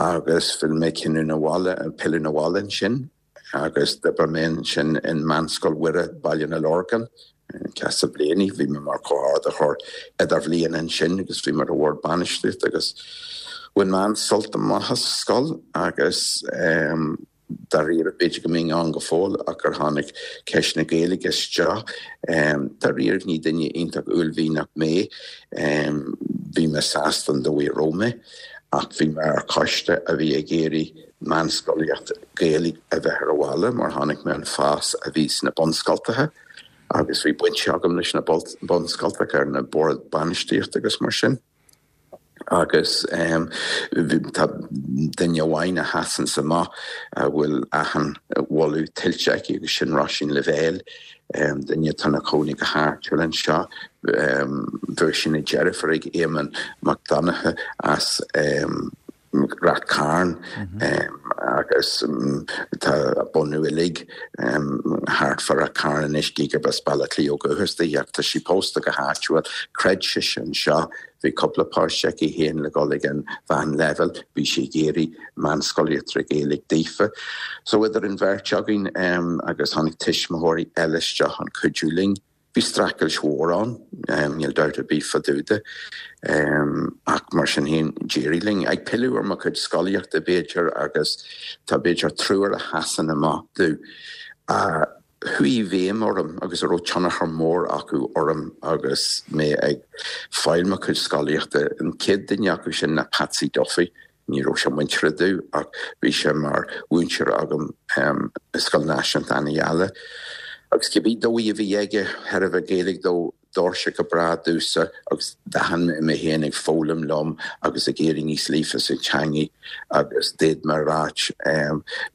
agus phill mé cinneadh abhaile, pilleadh abhaile ansin agus d'oibir mé ansin in Meánscoil Mhuire, Baile na Lorgan. Ceasa bliana, bhí mé mar chomhordaitheoir idirbhliana ansin agus bhí mé ar an bhord bainistíochta agus bhain mé an-sult amach as an scoil agus dáiríre, b'fhéidir go mbeinn ann go fóill ach gur tháinig ceist na Gaeilge isteach. Dáiríre, ní duine iontach uaillmhianach mé, bhí mé sásta an dóigh a raibh mé ach bhí mé ar choiste a bhí ag iarraidh meánscolaíocht Gaeilge a bheith ar an bhaile mar chonaic mé an fás a bhí sna bunscoltacha. Agus bhí baint agam leis na bunscoltacha ar na boird bainistíochta agus mar sin. Agus tá duine amháin a sheasann amach a bhfuil achan mholadh tuillte aici agus sin Róisín Lavelle, duine atá ina cónaí go háitiúil anseo. Bhuaigh sí na deirfiúr ag Éamonn Mac Donncha as Rath Cairn agus tá a bunadh uilig thart fá Rath Cairn anois, gí gurb as Baile Átha Cliath ó dhúchas di ach tá sí pósta go háitiúil. Chreid sise anseo, bhí cúpla páiste aici féin le dhul ag an mheánleibhéal, bhí sí ag iarraidh meánscolaíocht trí Ghaeilge daofa. So idir an bheirt againn agus tháinig tuismitheoirí eile isteach chun cuidiú linn. Bhí streachailt mhór ann, níl dabht ar bith fá dtaobh de, ach mar sin féin, d'éirigh linn. Ag pilleadh ar mo chuid scolaíochta, b'fhéidir, agus tá b'fhéidir triúr a sheasann amach domh, a chuaigh i bhfeidhm orm agus a raibh tionchar mór acu orm agus mé ag fáil mo chuid scolaíochta. An chéad duine acu sin ná Patsy Duffy. Ní raibh sé muinteartha domh ach bhí sé mar mhúinteoir agam i Scoil Náisiúnta Annaigheala agus cibé dóigh a bhí aige thar a bheith Gaeilge dó, d'fhóir sé go breá domhsa agus d'aithin mé mé féin ag foghlaim liom agus ag éirí níos líofa sa teangaidh agus d'fhéad mé a ráit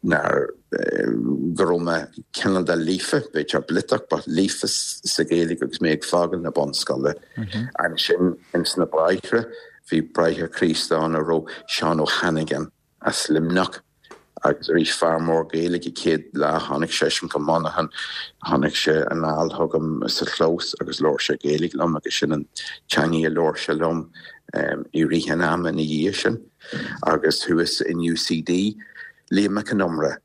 nár go raibh mé cineál de líofa, b'fhéidir bliotach, but líofa sa Ghaeilge agus mé ag fágáil na bunscoile. Ansin ins na Bráithre, Bhí Bráthair Críost ann a raibh Seán Ó hAnnagáin as Luimneach agus arís fear mór Gaeilge céad lá tháinig seisean go Monaghan tháinig sé anall chugam sa chlós agus labhair sé Gaeilge liom agus sin an teangaidh a labhair sé liom i rith an ama ina dhiaidh sin agus thuas in UCD Liam Mac Con Iomaire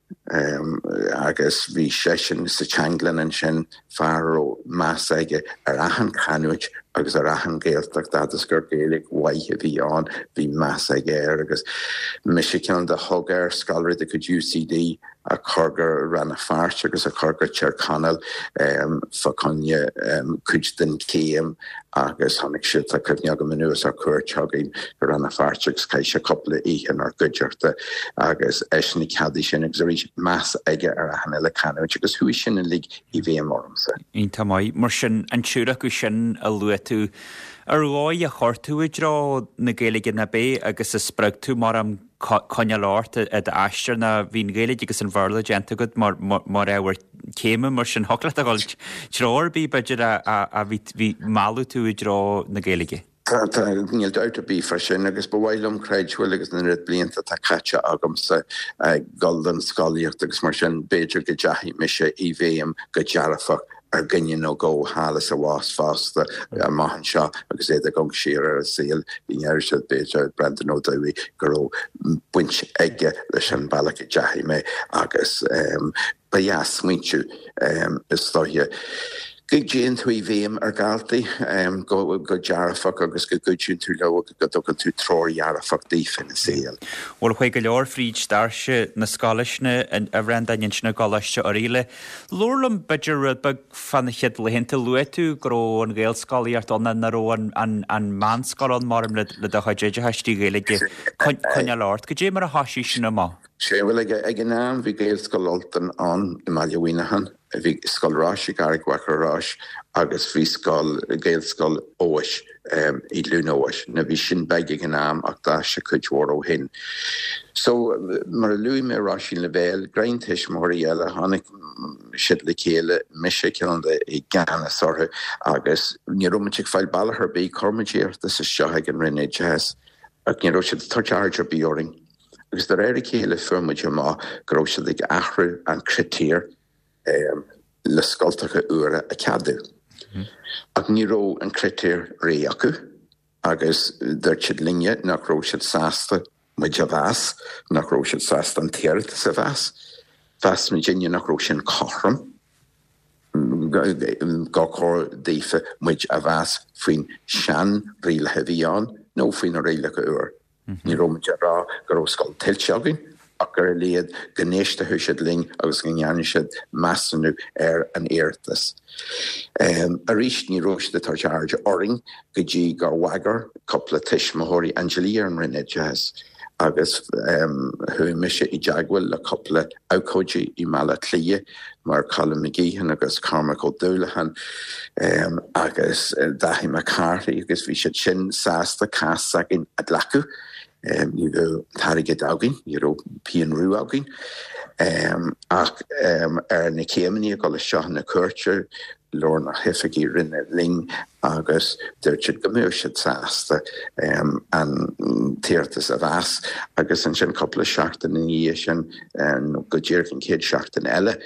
agus bhí seisean sa teanglann ansin, fear a raibh meas aige ar achan chanúint agus ar achan Ghaeltacht agus gur Gaeilge mhaith a bhí ann, bhí meas aige air agus mise ceann de thug air scoláirí de chuid UCD a chur go Rann na Feirste agus a chur go Tír Chonaill fá choinne cuid den chéim agus tháinig sé tá cuimhne agam anuas ar cuairt chugainn go Rann na Feirste agus chaith sé cúpla oíche inár gcuideachta agus eisean a cheadaigh sin agus arís meas aige ar achan uile canúint agus chuaigh sin uilig i bhfeidhm ormsa. Iontach maith. Mar sin, an triúr acu sin a luaigh tú, ar dhóigh a chuir tú i dtreo na Gaeilge nó b'é agus a spreag tú mar am coinneáil ort i d'aistear ná bhí an Ghaeilge agus an Bhéarla déanta agat mar mar ábhar céime mar sin thiocfadh leat a dhul treo ar bith b'fhéidir a a bhí bhí mealladh tú i dtreo na Gaeilge. Tá tá níl dabht ar bith fá sin agus ba mhaith liom creidbheáil agus na oiread blianta atá caite agamsa ag dul don scolaíocht agus mar sin b'fhéidir go dteachaigh mise i bhfeidhm go dearfach ar dhuine nó dhó thall is abhus fosta amach anseo agus iad ag amharc siar ar a saol go ndeir siad b'fhéidir Brendan Ó Dubhthaigh go raibh baint aige leis an bealach a dteachaigh mé agus ba dheas smaointiú is dóiche go dtéann tú i bhfeidhm ar dhaltaí go go dearfach agus go gcuidíonn tú leo go dtugann tú treoir dhearfach daofa ina saol. Bhuel chuaigh go leor fríd doirse na scoile sin a Bhreandáin ansin i gColáiste Oirialla. Labhair liom b'fhéidir rud beag fá na chéad laethanta. Luaigh tú go raibh an Ghaelscolaíocht ann nach raibh an an meánscoil ann mar le le do chuid oideachais trí Ghaeilge coinneáil ort. Goidé mar a thoisigh sin amach? Sé bhuel ag ag an am bhí Gaelscoil Ultain ann i mBaile Mhuineacháin, bhí Scoil Rois i gCarraig Mhachaire Rois agus bhí scoil Gaelscoil Eois i gCluain Eois. Now bhí sin beag ag an am ach d'fhás sé cuid mhór ó shin. So mar a luaigh mé Róisín Lavelle, greim tuismitheoirí eile, tháinig siad le chéile, mise ceann de i gceannas orthu agus ní raibh muid ag fáil bealach ar bith, chuir muid iarratas isteach ag an Roinn Oideachais ach ní raibh siad ag tabhairt aird ar bith orainn. Agus de réir a chéile fuair muid amach go raibh siad ag athrú an critéir le scoltacha úra a cheadú. Ach ní raibh an critéir réidh acu agus dúirt siad linne nach raibh siad sásta muid a mheas, nach raibh siad sásta an t-iarratas a mheas. Mheas muidinne nach raibh sin cothrom gur chóir daofa muid a mheas faoin seanrialacha a bhí ann nó faoi na rialacha úr. Ní raibh muid ag rá go raibh scoil tuillte againn ach ar a laghad go n-éistfeadh siad linn agus go ndéanfaidh siad measúnú ar an iarratas. Arís ní raibh siad ag tabhairt aird orainn go dtí gur bhagair cúpla tuismitheoirí an dlí ar an Roinn Oideachais agus chuaigh mise i dteagmháil le cúpla abhcóidí i mBaile Átha Cliath mar Colin McGeehan agus Cormac Ó Dúlacháin agus Daithí Mac Cárthaigh agus bhí siad sin sásta cás s'againn a ghlacadh. Ní raibh an t-airgead againn, ní raibh pingin rua againn ach ar na céimeanna ag dul isteach na cúirte labhair na hoifigigh roinne linn agus dúirt siad go mbeadh siad sásta an t-iarratas a mheas agus ansin cúpla seachtain ina dhiaidh sin nó go díreach an chéad seachtain eile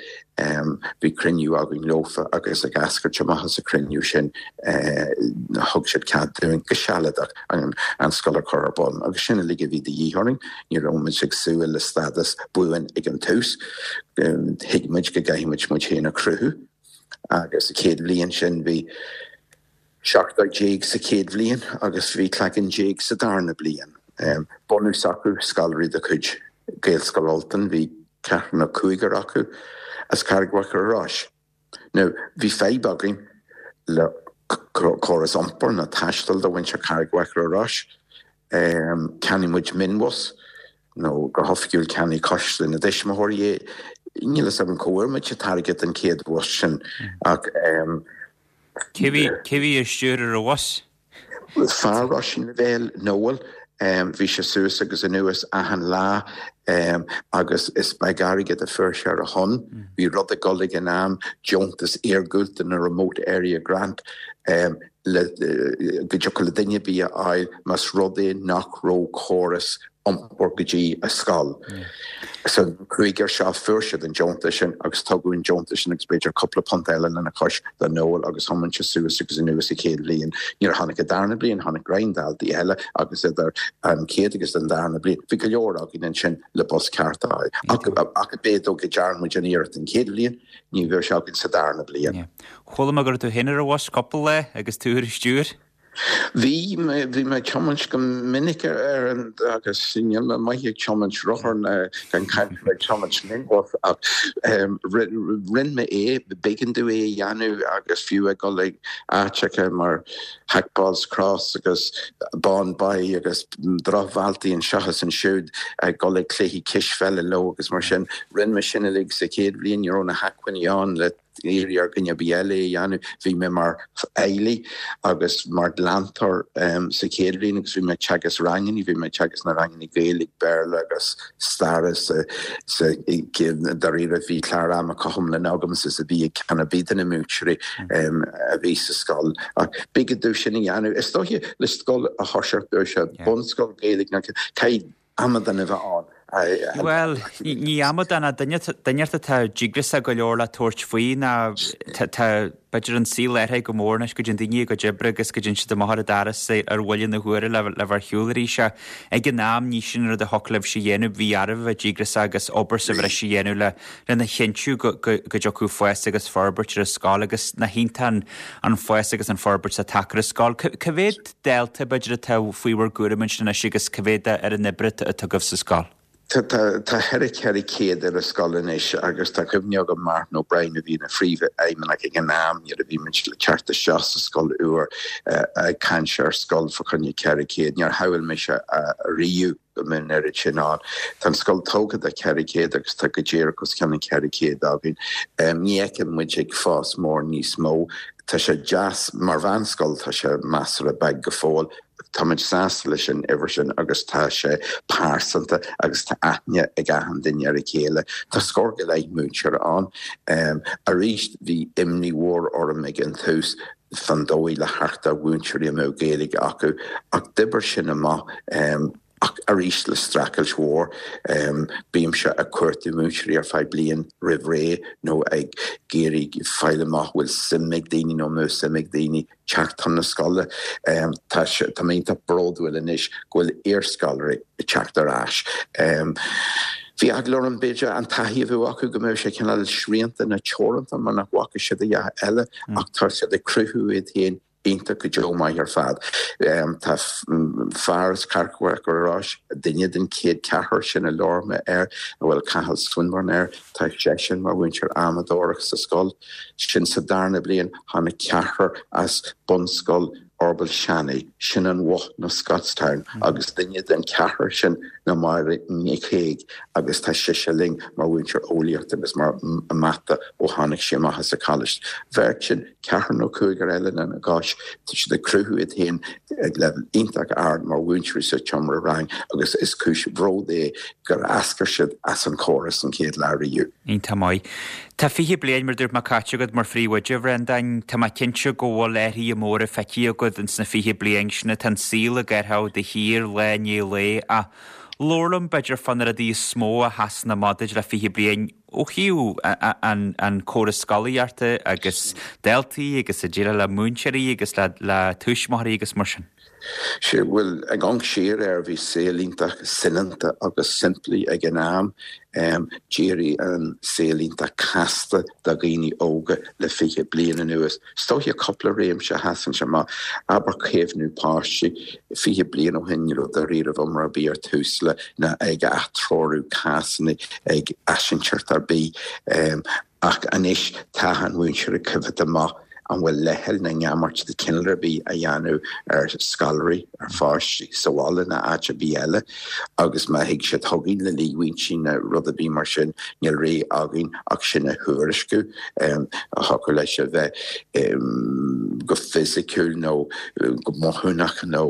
bhí cruinniú againn leofa agus ag eascairt amach as an cruinniú sin thug siad cead dúinn go sealadach an, an scoil a chur ar bun agus sin uilig a bhí de dhíth orainn, ní raibh muid ag súil le stádas buan ag an tús. Thuig muid go gcaithfidh muid muid féin a chruthú agus sa chéad bhliain sin bhí seachtar déag sa chéad bhliain agus bhí cloigeann déag sa darna bliain. Bunús acu scoláirí de chuid Gaelscoil Ultain, bhí ceathrar nó cúigear acu as Carraig Mhachaire Rois. Now bhí fadhb againn le córas iompair nó taistil do mhuintir Carraig Mhachaire Rois. Cheannaigh muid mionbhus nó go hoifigiúil cheannaigh coiste na dtuismitheoirí é. Níl a fhios agam cá bhfuair muid an t-airgead don chéad bhus sin ach Cé bhí cé bhí ag stiúradh an bhus? Fear Róisín Lavelle, Noel, bhí sé suas agus anuas achan lá agus is beag airgead a fuair sé ar a shon. Bhí rud ag dul ag an am, deontas iargúlta na Remote Area Grant le go dtiocfadh le duine ar bith a fháil más rud é nach raibh córas iompair go dtí a scoil. So an cúigear seo fuair siad an deontas sin agus tugadh an deontas sin agus b'fhéidir cúpla punt eile lena chois do Noel agus thiomáin sé suas agus anuas sa chéad bhliain. Nuair a tháinig an darna bliain tháinig roinnt daltaí eile agus idir an chéad agus an darna bliain bhí go leor againn ansin le bus ceart a fháil. Ach b'fhéidir go ndearna muid an iarracht an chéad bhliain, ní bheadh sé againn sa darna bliain. Chuala mé go raibh tú féin ar an bhus cúpla lá agus tú ar an stiúir? Bhí mé bhí mé ag tiomáint go minic ar an agus níl mé maith ag tiomáint rothar gan caint ag tiomáint minibus ach rinne mé é, b'éigean domh é a dhéanamh agus fiú ag dul ag áiteacha mar Hackballs Cross agus Bawn Bay agus drochbhealtaí anseo is ansiúd ag dul ag cluichí cispheile leo agus mar sin. Rinne mé sin uilig sa chéad bhliain, ní raibh na hacmhainní ann le iarraidh ar dhuine ar bith eile é a dhéanamh. Bhí mé mar fheighlí agus mar leantóir sa chéad bhliain agus bhí mé ag teagasc ranganna, bhí mé ag teagasc na ranganna Gaeilge, Béarla agus staire sa sa dáiríre bhí clár ama cothrom le agamsa is a bhí ag ceann ar bith de na múinteoirí a bhí sa scoil. Ach b'éigean domh sin a dhéanamh. Is dóiche le scoil a thoiseacht, bíodh sé bunscoil Gaeilge nó caithfidh amadán a bheith ann. Bhuel, ní amadán ach duine duine atá díograiseach go leor le tabhairt faoi ná tá b'fhéidir an saol athraithe go mór anois go dtéann daoine a gcuid oibre agus go dtéann siad amach ar an doras ar bhuille na huaire le le bheith ar shiúl arís. Ag an am ní sin an rud a thiocfadh libhse a dhéanamh, bhí oraibh a bheith díograiseach agus obair sa bhreis a dhéanamh le lena chinntiú go go go dtiocfadh fás agus forbairt ar an scoil agus nach iontach an fás agus an forbairt atá tagtha ar an scoil. Cá mhéad dalta b'fhéidir atá faoi bhur gcúram ansin anois agus cá mhéad ar an oibre atá agaibh sa scoil? Tá tá ceithre ceithre chéad ar an scoil anois agus tá cuimhne agam Martin O'Brien a bhí ina phríomhfheidhmeannach ag an am nuair a bhí muid le teacht isteach sa scoil úr ag caint ar scoil fá choinne ceithre chéad. Níor shamhail mise riamh go mbeadh an oiread sin ann. Tá an scoil tógtha do ceithre chéad agus tá go díreach os cionn an ceithre chéad againn. Ní fheiceann muid ag fás mór níos mó. Tá sé deas mar mheánscoil tá sé measartha beag go fóill. Táimid sásta leis an uimhir sin agus tá sé pearsanta agus tá aithne ag achan duine ar a chéile. Tá scór go leith múinteoir ann. Arís bhí imní mhór orm ag an tús fan dóigh le theacht ar mhúinteoirí a mbeadh Gaeilge acu ach d'oibir sin amach ach arís le streachailt mhór. Bímse ag cuartú múinteoirí ar feadh bliain roimh ré nó ag iarraidh fáil amach bhfuil suim ag daoine nó mó suim ag daoine teacht chun na scoile. Tá tá mé iontach bródúil anois go bhfuil iarscoláirí ag teacht ar ais. Bhí eagla orm b'fhéidir an taithí a bheadh acu go mbeadh sé cineál srianta nó teoranta mar nach bhfaca siad a dhath eile ach tá siad ag cruthú iad féin iontach go deo maith ar fad. Tá fear as Corca Rois, duine den chéad ceathrar sin a labhair mé air, a bhfuil Cathal Swinburne air, tá seisean mar mhúinteoir amadóireach sa scoil. Sin sa darna bliain tháinig ceathrar as bunscoil Orbal Shani, sin an Bhoth nó Scotstown, agus duine den ceathrar sin ná Máire Nic Thaidhg agus tá sise linn mar mhúinteoir eolaíochta agus mar mata ó tháinig sí amach as an college. Bheirt sin ceathrar nó cúigear eile lena gcois, tá siad ag cruthú iad féin ag leibhéal iontach ard mar mhúinteoirí sa tseomra rang agus is cúis bhróid é gur eascair siad as an chóras an chéad lá riamh. Iontach maith. Tá fiche bliain mar dúirt mé caite agat mar phríomhoide, a Bhreandáin, tá mé cinnte go bhfuil athruithe móra feicthe agat ins na fiche bliain sin tá an saol ag athrú de shíor lá i ndiaidh lae ach labhair liom b'fhéidir fá na rudaí is mó a sheasann amach duit le fiche bliain ó thaobh an, an córas scolaíochta agus daltaí agus a déileáil le múinteoirí agus le, le tuismitheoirí agus mar sin. Sé bhuel ag amharc siar air bhí saol iontach soineanta agus simplí ag an am. Um, D'éirigh an saol iontach casta do dhaoine óga le fiche bliain anuas. Is dóiche cúpla réimse a sheasann amach abair caomhnú páistí fiche bliain ó shin ní raibh dáiríre iomrá ar bith ar Tusla ná ag atreorú cásanna ag eisintert ar bith. Um, ach anois tá an mhúinteoir ag coimhéad amach an bhfuil leithcheal nó neamart de chineál ar bith a dhéanamh ar scoláirí ar pháistí sa bhaile nó áit ar bith eile agus má thig siad chugainn le líomhaintí nó rud ar bith mar sin níl rogha againn ach sin a thuairisciú a thiocfadh leis a bheith go fisiciúil nó go mothúnach nó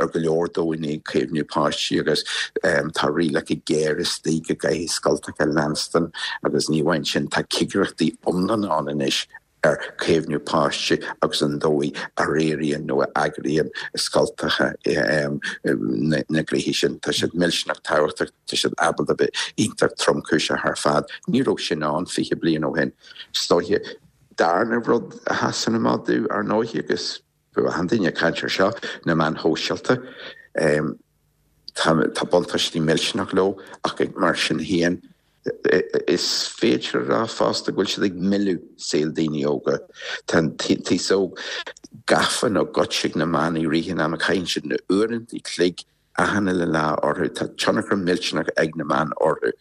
ar go leor dóigheanna caomhnú páistí agus tá rialacha géara istigh go gcaithfidh scoltacha leanstan agus ní amháin sin tá cigireachtaí iomlán ann anois ar chaomhnú páistí agus an dóigh a riarann nó a eagraíonn scoltacha na gnoithí sin. Tá siad millteanach tábhachtach, tá siad ábalta bheith iontach tromchúiseach ar fad. Ní raibh sin ann fiche bliain ó shin. Is dóiche darna rud a sheasann amach domh ar ndóigh agus bhí achan duine ag caint air seo, na meáin shóisialta. Tá buntáistí millteanach leo ach mar sin féin is féidir a rá fosta go bhfuil siad ag milleadh saol daoine óga. Tá an t-aos óg gafa nó goidte ag na meáin i rith an ama, caitheann siad na uaireanta an chloig achan uile lá orthu. Tá tionchar millteanach ag na meáin orthu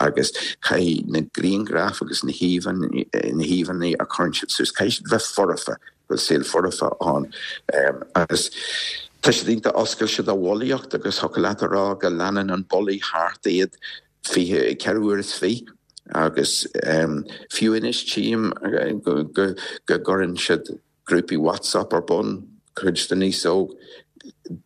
agus caithfidh na grianghraif agus na híomhánna a chuireann siad suas, caithfidh siad bheith foirfe, go bhfuil saol foirfe ann agus tá siad iontach oscailte do bhulaíocht agus thiocfadh leat a rá go leanann an bulaí thart iad fiche ceithre huaire is fiche agus fiú anois tchím go gcuireann siad grúpaí WhatsApp ar bun, cuid den aos óg,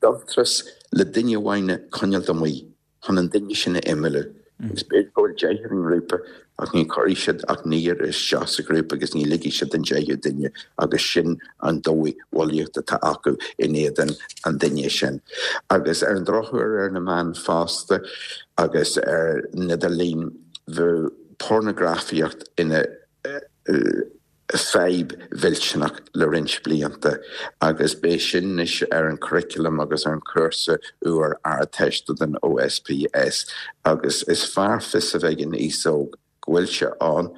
dubhtrás le duine amháin a choinneáilt amuigh chun an duine sin a imeallú. Agus b'fhéidir go bhfuil deich ar an ngrúpa ach ní chuirfidh siad ach naonúr isteach sa ghrúpa agus ní ligfidh siad an deichiú duine agus sin an dóigh bhulaíocht atá acu in éadan an duine sin. Agus ar an drochuair ar na meáin fosta agus ar an idirlíon bheadh pornagrafaíocht ina fadhb mhillteanach le roinnt blianta agus beidh sin anois ar an curriculum agus ar an chúrsa úr Ardteiste den OSPS agus is fearr fios a bheith ag an aos óg go bhfuil sé ann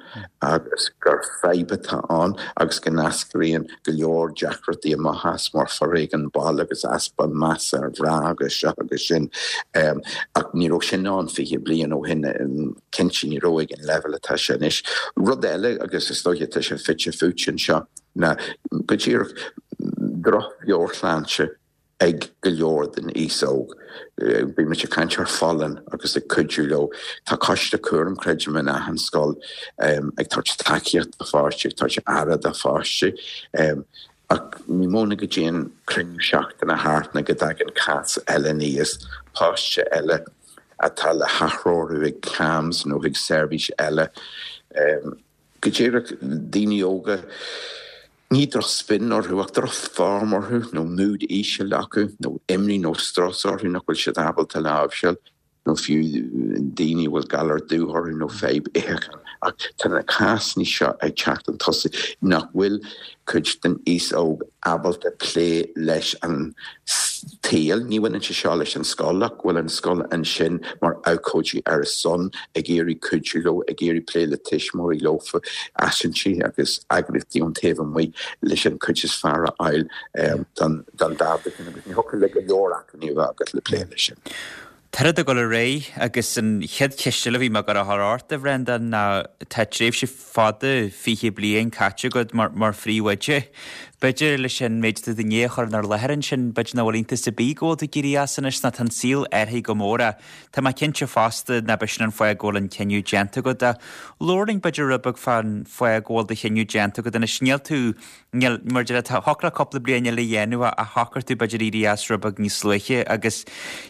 agus gur fadhb atá ann agus go n-eascraíonn go leor deacrachtaí amach as mar foréigean baile agus easpa measa ar mhná agus seo agus sin. Ach ní raibh sin ann fiche bliain ó shin, cinnte ní raibh ag an leibhéal atá sé anois. Rud eile, agus is dóiche tá sé fite fuaite anseo, ná go díreach drochmheabhairshláinte ag go leor den aos óg. Bímid ag caint ar folláine agus ag cuidiú leo. Tá coiste cúraim, creidim, in achan scoil ag tabhairt tacaíocht do pháistí, ag tabhairt aire do pháistí. Ach ní mó ná go dtéann cruinniú seachtaine thart ná go dtagann cás eile aníos, páiste eile atá le hathreorú ag CAMHS nó chuig seirbhís eile. Go díreach daoine óga, ní droch-spin orthu ach droch-form orthu nó mood íseal acu nó imní nó strus orthu nach bhfuil siad ábalta láimhseáil. nó fiú daoine a bhfuil galar dubh orthu nó fadhb itheacháin. Ach tá na cásanna seo ag teacht chun tosaigh nach bhfuil cuid den aos óg ábalta plé leis an tsaol. Ní bhaineann sé seo leis an scoil ach go bhfuil an scoil ansin mar abhcóidí ar a son, ag iarraidh cuidiú leo, ag iarraidh plé le tuismitheoirí leofa, easaontaí agus eagraíochtaí ón taobh amuigh leis an cuid is fearr a fháil don dalta sin agus ní thiocfadh le go leor acmhainní a bheith agat le plé leis sin. Tá rudaí ag dul ar aghaidh agus an chéad cheist eile a bhí mé ag dul a chur ort, a Bhreandáin, ná tá tréimhse fada, fiche bliain, caite agat mar mar phríomhoide. B'fhéidir leis an méid atá tú i ndiaidh a chur inár láthair ansin, b'fhéidir nach bhfuil iontas ar bith go bhfuil tú ag éirí as anois ná tá an saol athraithe go mór ach tá mé cinnte fosta nach b'shin an fáth go bhfuil an cinneadh déanta agat. Ach labhair linn b'fhéidir rud beag fán fáth go bhfuil do chinneadh déanta agat anois. Níl tú Níl, mar a deir, thiocfadh leat cúpla bliain eile a dhéanamh ach shocraigh tú b'fhéidir éirí as rud beag níos luaithe agus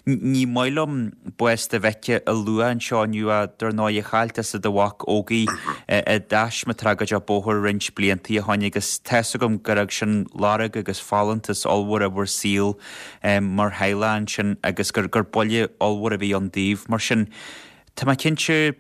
ní maith liom bás do mhic a lua anseo inniu ach dar ndóigh chaill tusa do mhac Ógie i dtaisme tragóideach bóthair roinnt blianta ó shoin agus tá's agam gur fhág sin lorg agus folúntas ollmhór i bhur saol mar theaghlach ansin agus gur gur buille ollmhór a bhí ann daoibh. Mar sin tá mé cinnte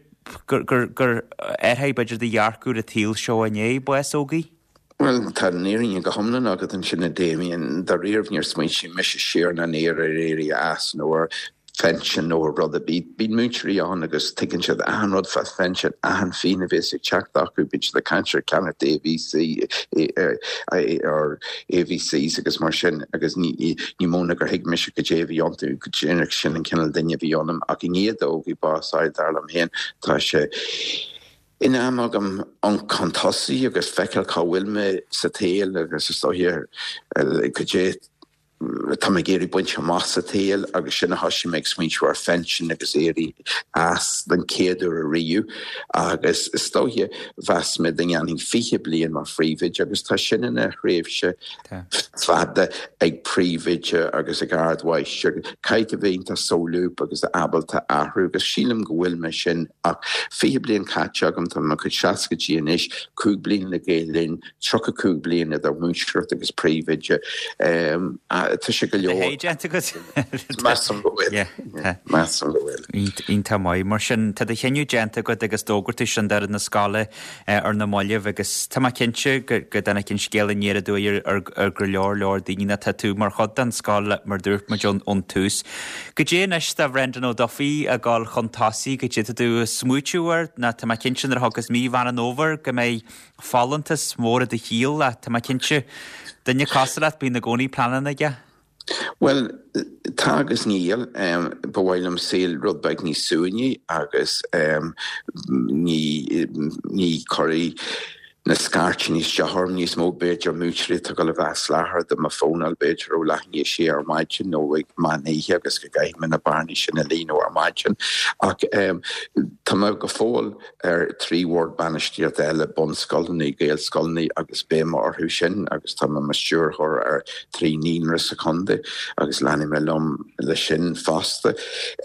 gur gur gur athraigh b'fhéidir do dhearcadh ar an tsaol seo i ndiaidh bás Ógie. Bhuel, tá an fhírinne go hiomlán agat ansin, a Damien. Dáiríribh, níor smaointigh mise siar ná aniar ar éirí as nó ar phension nó ar rud ar bith. Bíonn múinteoirí ann agus tuigeann siad achan rud fá phension, achan phingin a bhéas ag teacht acu, bíonn siad ag caint ar ceannacht AVC or AVCs agus mar sin agus ní ní mó ná gur thuig mise goidé a bhí iontu, go díreach sin an cineál duine a bhí ionam. Ach i ndiaidh d'Ógie bás a fháil, dar liom féin, tá sé. in am agam amharc chun tosaigh agus feiceáil cá bhfuil mé sa tsaol agus is dóiche goidé tá mé ag iarraidh baint amach sa tsaol agus sin a thosaigh mé ag smaointiú ar phension agus éirí as den chéad uair ariamh agus is dóiche mheas mé go ndéanfainn fiche bliain mar phríomhoide agus tá sin ina thréimhse fada ag príomhoide agus ag ardmháistir. Caithfidh tú bheith iontach solúbtha agus ábalta athrú agus sílim go bhfuil mé sin ach fiche bliain caite agam tá mé i mo chuid seascaidí anois, cúig bliana le Gael Linn, tríocha cúig bliain idir múinteoireacht agus príomhoide. Tá sé go leor. Déanta agat? Measaim go bhfuil. Measaim go bhfuil. Iontach maith. Mar sin, tá do chinneadh déanta agat agus d'fhógair tú sin d'fhoireann na scoile ar na mallaibh agus tá mé cinnte go dtáinig an scéal aniar aduaidh ar go leor leor daoine nó tá tú mar chuid den scoil mar dúirt muid ón tús. Goidé anois do Bhrendan Ó Dufaigh ag dul chun tosaigh, goidé tá tú ag smaoitiú air nó tá mé cinnte nuair a thiocfas mí Mheán an Fhómhair go mbeidh folúntas mór i do shaol ach tá mé cinnte duine cosúil leat bíonn i gcónaí pleananna aige. Bhuel, tá agus níl. Ba mhaith liom saol rud beag níos suaimhní agus ní ní chuirfidh na scairteanna isteach orm níos mó. B'fhéidir múinteoirí atá ag dul a bheith ag soláthar do mo fónáil b'fhéidir ó leath i ndiaidh a sé ar maidin nó ag meán oíche agus go gcaithfidh mé na bearnaí sin a líonadh ar maidin. Ach tá mé go fóill ar trí bhord bainistíochta eile, bunscoileanna, Gaelscoileanna agus beidh mé orthu sin agus tá mé mar stiúrthóir ar trí naíonra sa chontae agus leanfaidh mé liom leis sin fosta.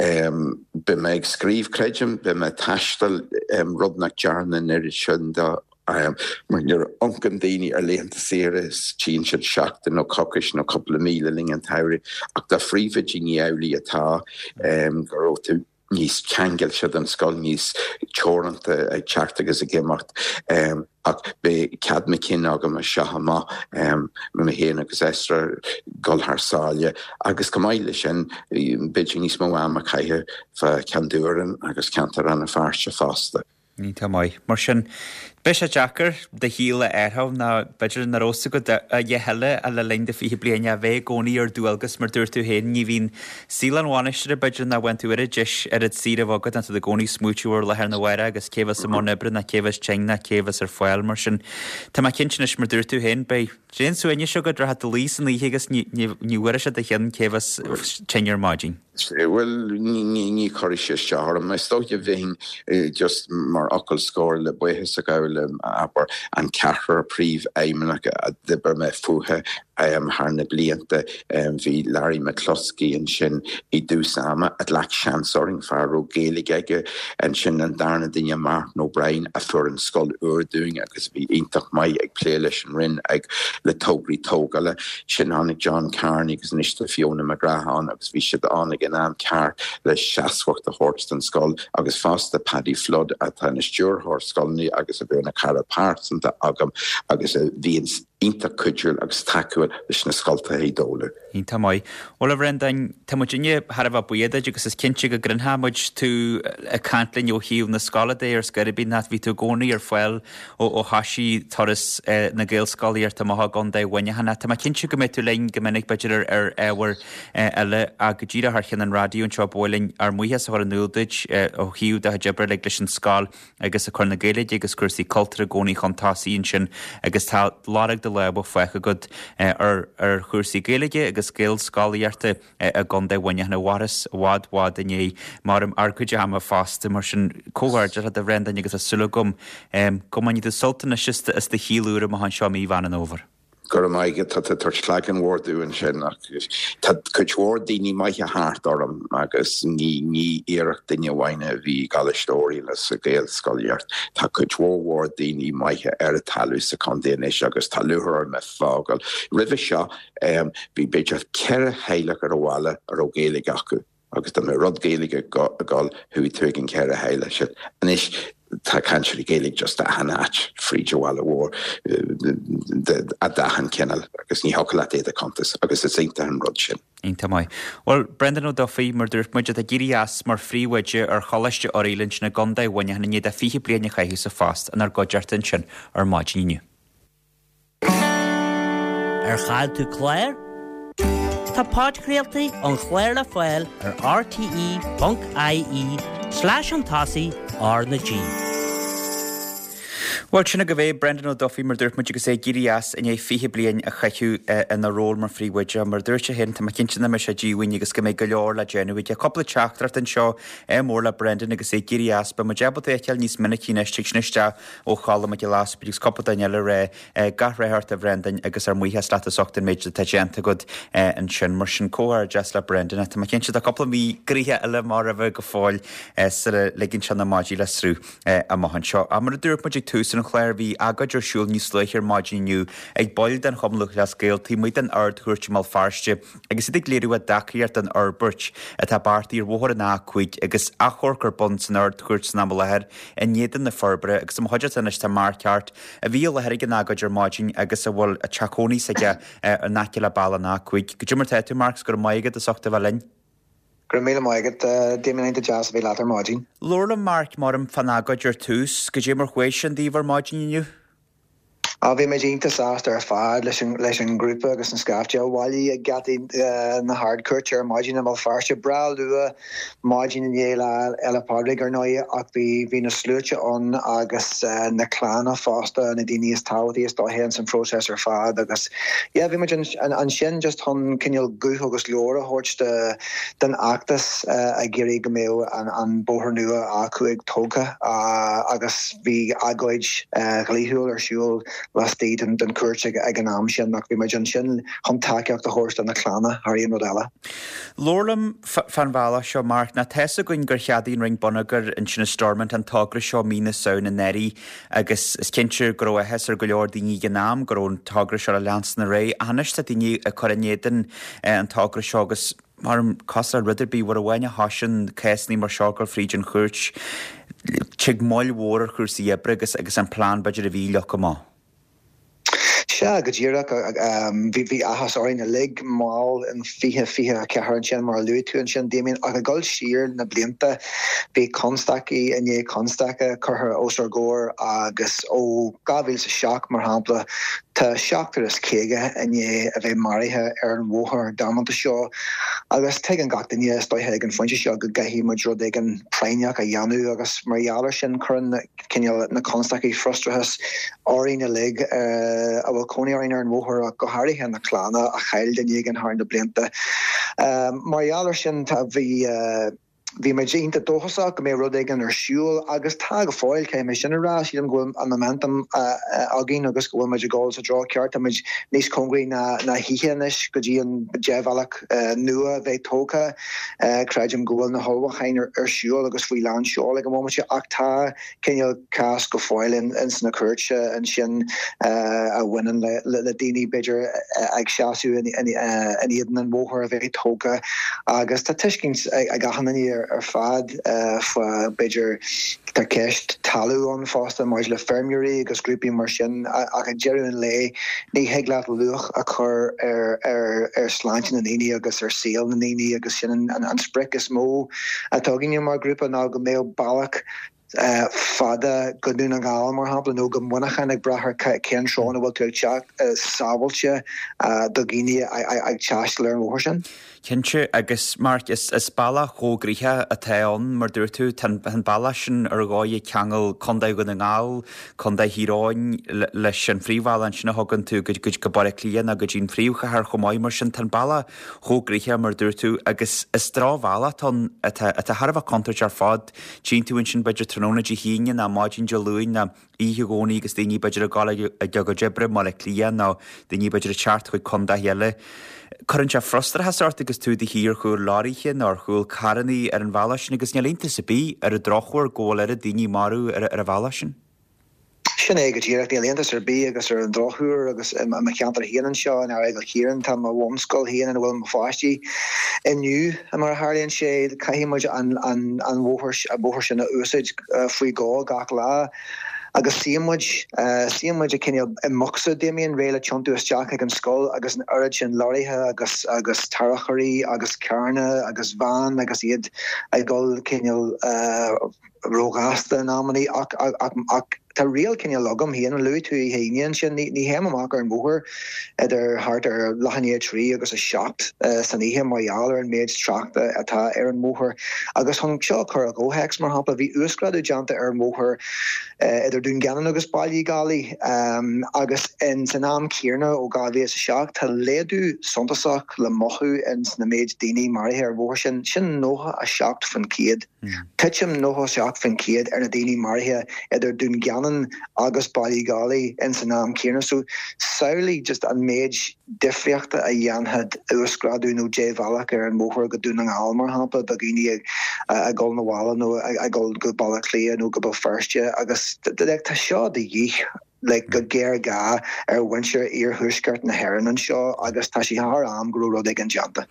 Beidh mé ag scríobh, creidim, beidh mé ag taisteal, rud nach ndearna an oiread sin de mar nuair a amharcann daoine ar laethanta saoire tchíonn siad seachtain nó coicís nó cúpla mí le linn an tsamhraidh ach do phríomhoidí ní amhlaidh atá go raibh tú níos ceangailte den scoil, níos teoranta ag teacht agus ag imeacht. Ach beidh cead mo chinn agam as seo amach, mé féin agus Esther, dul thar sáile agus chomh maith leis sin, b'fhéidir níos mó ama a chaitheamh fá Cheann Dubhrann agus ceantar Rann na Feirste fosta. Iontach maith. Mar sin, beidh sé deacair do shaol a áireamh ná b'fhéidir nach raibh fhios agat a dhath eile le linn do fiche bliain a bheith i gcónaí ar dualgas mar dúirt tú féin, ní bhíonn saol an bhainistire b'fhéidir nach bhfaigheann tú oiread deis oiread saoire a bheith agat ná tú i gcónaí ag smaoitiú ar lá arna mhárach agus cé bheas i mbun oibre ná cé bheas tinn ná cé bheas ar fáil mar sin. Tá mé cinnte anois mar dúirt tú féin, beidh tréan suaimhnis agat, rachaidh tú a luí san oíche agus ní ní bhuailfidh sé do cheann cé bheas tinn ar maidin. Bhuel, ní chuirfidh sé isteach orm. Is dóiche bheinn just mar fhocal scoir le buíochas a ghabháil le, abair, an ceathrar príomhfheidhmeannach a d'oibir mé fúthu thar na blianta. Bhí Larry McCluskey ansin i dtús ama a ghlac seans orainn, fear a raibh Gaeilge aige. Ansin an darna duine, Martin O'Brien, a fuair an scoil úr dúinn agus a bhí iontach maith ag plé leis an Roinn ag le tograí tógála. Ansin tháinig John Carney agus anois tá Fiona McGrath ann agus bhí siad ann ag an am ceart le seasmhacht a thabhairt don scoil agus fosta Paddy Flood atá ina stiúrthóir scoileanna agus a bhí ina cara pearsanta agam agus a bhíonn iontach cuidiúil agus tacúil leis na scoltacha i dtólamh. Iontach maith. Bhuel a Bhrendáin, tá muidinne thar a bheith buíoch duit agus is cinnte go gcluinfidh muid tú ag caint linn ó thaobh na scoile de ar scor ar bith nó bhí tú i gcónaí ar fáil ó thoisigh turas na Gaelscolaíochta amach i gContae Mhuineacháin. Tá mé cinnte go mbeidh tú linn go minic b'fhéidir ar ábhair eile ach go díreach thar cheann an raidió anseo ba mhaith linn ár mbuíochas a chur in iúl duit ó thaobh do chuid oibre uilig leis an scoil agus ag cur na Gaeilge agus cúrsaí cultúir i gcónaí chun tosaigh ansin agus tá lorg do lámha fágtha agat ar chúrsaí Gaeilge agus Gaelscolaíochta i gContae Mhuineacháin a mhaireas i bhfad bhfad i ndiaidh mar ár gcuid ama fosta. Mar sin, comhghairdeas leat a Bhrendáin agus tá súil agam go mbainfidh tú sult anois as do shaol úr amach anseo i mí Mheán an Fhómhair. Go raibh maith agat, tá tú ag tabhairt leagan mhór domh ansin ach tá cuid mhór daoine maithe thart orm agus ní ní iarracht duine amháin a bhí i gColáiste Oirialla sa Ghaelscolaíocht. Tá cuid mhór mhór daoine maithe ar an talamh sa chontae anois agus tá lúcháir orm a fhágáil. Roimhe seo bhí b'fhéidir ceithre theaghlach ar an bhaile a raibh Gaeilge acu. Agus dá mbeadh rud Gaeilge ag dul, chuaigh tú ag an ceithre theaghlach sin. Anois tá cainteoirí Gaeilge just achan áit fríd an bhaile mhór, d'achan cineál agus ní thiocfadh leat iad a chuntas agus is iontach an rud sin. Iontach maith. Bhuel, Brendan Ó Dufaigh, mar dúirt muid, atá ag éirí as mar phríomhoide ar Choláiste Oirialla ansin i gContae Mhuineacháin i ndiaidh dó fiche bliain a chaitheamh sa phost inár gcuideachta ansin ar maidin inniu. Ar chaill tú clár? Tá podchraoltaí an chláir le fáil ar rte ponc ie slash chun tosaigh R na G. Bhuel, sin agaibh é, Brendan Ó Dufaigh, mar dúirt muid agus é ag éirí as i ndiaidh fiche bliain a chaitheamh ina ról mar phríomhoide. Mar dúirt sé féin, tá mé cinnte nach mbeidh sé díomhaoin agus go mbeidh go leor le déanamh aige. Cúpla teachtaireacht anseo, ádh mór le Brendan agus é ag éirí as. Beidh muid ábalta é a fheiceáil níos minicí anois, tig sin isteach ó Cholm Mac Giolla Easpaig agus cúpla duine eile ag rá gach rath ort a Bhrendan agus ár mbuíochas leat as ucht an méid atá déanta agat ansin. Mar sin, comhghairdeas le Brendan. Tá mé cinnte tá cúpla mí gnoitheach eile mar roimhe go fóill sula ligeann sé na maidí le sruth amach anseo. Ach mar a dúirt muid ag tús an chláir, bhí agóid ar siúl níos luaithe ar maidin inniu ag baill den Chumann Lúthchleas Gael taobh amuigh den Ard-Chúirt i mBéal Feirste agus iad ag léiriú a dtacaíocht don fhorbairt atá beartaithe ar bhóthar an A cúig agus achomharc ar bun san Ard-Chúirt san am i láthair in éadan na forbartha agus i mo chuideachta anois tá Mark Harte a bhí i láthair ag an agóid ar maidin agus a bhfuil a teach cónaí s'aige in aice le bealach an A cúig. Goidé mar tá tú Mark, 's go raibh maith agat as ucht a bheith linn. Go raibh míle maith agat, Damien iontach deas a bheith leat ar maidin. Labhair liom Mark mar fán agóid ar tús, goidé mar chuaigh sin daoibh ar maidin inniu? Á bhí muid iontach sásta ar fad leis an leis an ngrúpa agus an scaifte a bhailigh ag geataí na hArdchúirte ar maidin i mBéal Feirste. Breá luath maidin i ndiaidh Lá Fhéile Pádraig ar ndóigh ach bhí bhí na sluaite ann agus na clanna fosta na daoine is tábhachtaí is dóiche san phróiseas ar fad agus yeah bhí muid ansin just chun cineál guth agus glór a thabhairt de den fheachtas ag iarraidh go mbeadh an an bóthar nua A cúig tógtha agus bhí agóid dhlíthiúil ar siúl laistigh den den chúirt ag ag an am sin ach bhí muid ansin chun tacaíocht a thabhairt do na clanna thar aon rud eile. Labhair liom fán bhealach seo Mark ná tá's againn gur cheadaigh an Roinn Bonneagair ansin i Stormont an togra seo mí na Samhna anuraidh agus is cinnte go raibh áthas ar go leor daoine ag an am go raibh an togra seo le leanstan ar aghaidh. Ach anois tá daoine ag cur in éadan an togra seo agus mar cosúil le rud ar bith uair amháin a thosaíonn cásanna mar seo ag dul fríd an chúirt, tig moill mhór ar chúrsaí oibre agus agus an plean b'fhéidir a bhí leagtha amach. Sea go díreach bhí bhí áthas orainn uilig mall in fiche fiche a ceathair ansin mar a luaigh tú ansin Damien ach ag dul siar na blianta bhí constaicí i ndiaidh constaice curtha os ár gcomhair agus ó dhá mhíle is a seacht mar shampla tá seachtar is caoga i ndiaidh a bheith maraithe ar an bhóthar damanta seo agus tuigeann gach duine is dóiche ag an phointe seo go gcaithfidh muid rud éigin práinneach a dhéanamh agus mar gheall air sin cuireann cineál na constaicí frustrachas orainn uilig a bhfuil cónaí orainn ar an bhóthar ach go háirithe na clanna a chaill duine éigin thar na blianta. Mar gheall air sin tá bhí bhí muid iontach dóchasach go mbeadh rud éigin ar siúl agus tá go fóill caithfidh mé sin a rá sílim go bhfuil an momentum againn agus go bhfuil muid ag dul sa treo ceart tá muid níos cóngaraí ná ná choíche anois go dtí an débhealach nua a bheith tógtha creidim go bhfuil na hullmhúcháin ar siúl agus faoi lán seoil ag an bhomaite ach tá cineál cás go fóill in sna cúirte ansin a bhaineann le le daoine b'fhéidir ag seasamh in éadan an bhóthair a bheith tógtha agus tá tuiscint ag achan duine ar fad fá b'fhéidir tá ceist talamh ann fosta maidir le feirmeoirí agus grúpaí mar sin ach ag deireadh an lae ní thig leat luach a chur ar ar ar sláinte na ndaoine agus ar saol na ndaoine agus sin an, an, an sprioc is mó atá againne mar grúpa ná go mbeadh bealach fada go Dún na nGall mar shampla nó go Muineachán ag brath ar cén treo ina bhfuil tú ag teacht sábháilte do dhaoine ag taisteal ar an bhóthar sin. Cinnte agus Mark is is bealach chomh gnoitheach atá ann mar dúirt tú tá an bealach sin ar dhóigh ag ceangal Contae Dhún na nGall, Contae Thír Eoghain leis an phríomhbhealach ansin a thugann tú go go Baile Átha Cliath nó go dtí an phríomhchathair chomh maith mar sin tá an bealach chomh gnoitheach mar dúirt tú agus is drochbhealach atá ann atá atá thar a bheith contúirteach ar fad. Tchíonn tú ansin b'fhéidir tráthnóna Dé hAoine ná maidin Dé Luain ná oíche Dhomhnaigh agus daoine b'fhéidir ag dul ag a gcuid oibre i mBaile Átha Cliath nó daoine b'fhéidir ag teacht chuig contaetha eile. Cuireann sé frustrachas ort agus tú i do shuí ar chúl leoraithe nó ar chúl carrannaí ar an bhealach sin agus níl iontas ar bith ar an drochuair go bhfuil oiread daoine marbh ar ar an bhealach sin. Sin é go díreach níl iontas ar bith agus ar an drochuair agus i mo cheantar féin anseo in Aireagal Chiaráin tá mo bhunscoil féin ina bhfuil mo pháistí inniu mar a tharlaíonn sé caithfidh muid an an an bhóthar an bóthar sin a úsáid faoi dhó gach lá. Agus suíonn muid suíonn muid ag cineál i mbocsa Damien réidh le tiontú isteach ag an scoil agus an oiread sin leoraithe agus agus tarracóirí agus carranna agus veain agus iad ag dul cineál róghasta in amannaí ach ach ach tá riail cineál agam féin, luaigh tú oíche Aoine ansin, ní ní théim amach ar an mbóthar idir thart ar leath i ndiaidh a trí agus a seacht san oíche mar gheall ar an méid tráchta atá ar an mbóthar. Agus chun seo a chur i gcomhthéacs, mar shampla, bhí uasghrádú déanta ar an mbóthar idir Dún Geanainn agus Baile Uí Dhálaigh agus in san am céanna ó dhá mhíle is a seacht tá laghdú suntasach le mothú ins na méid daoine maraithe ar an bhóthar sin, sin nócha a seacht faoin chéad. Titim nócha a seacht faoin chéad ar na daoine maraithe idir Dún Geanainn agus Baile Uí Dhálaigh in san am céanna. So samhlaigh just an méid difríochta a dhéanfadh uasghrádú nó débhealach ar an mbóthar go Dún na nGall, mar shampla, do dhaoine ag dul 'na bhaile nó ag dul go Baile Átha Cliath nó go Béal Feirste agus tá seo de dhíth like go géarghá ar mhuintir iarthuaisceart na hÉireann anseo agus tá sé thar am go raibh rud éigin déanta.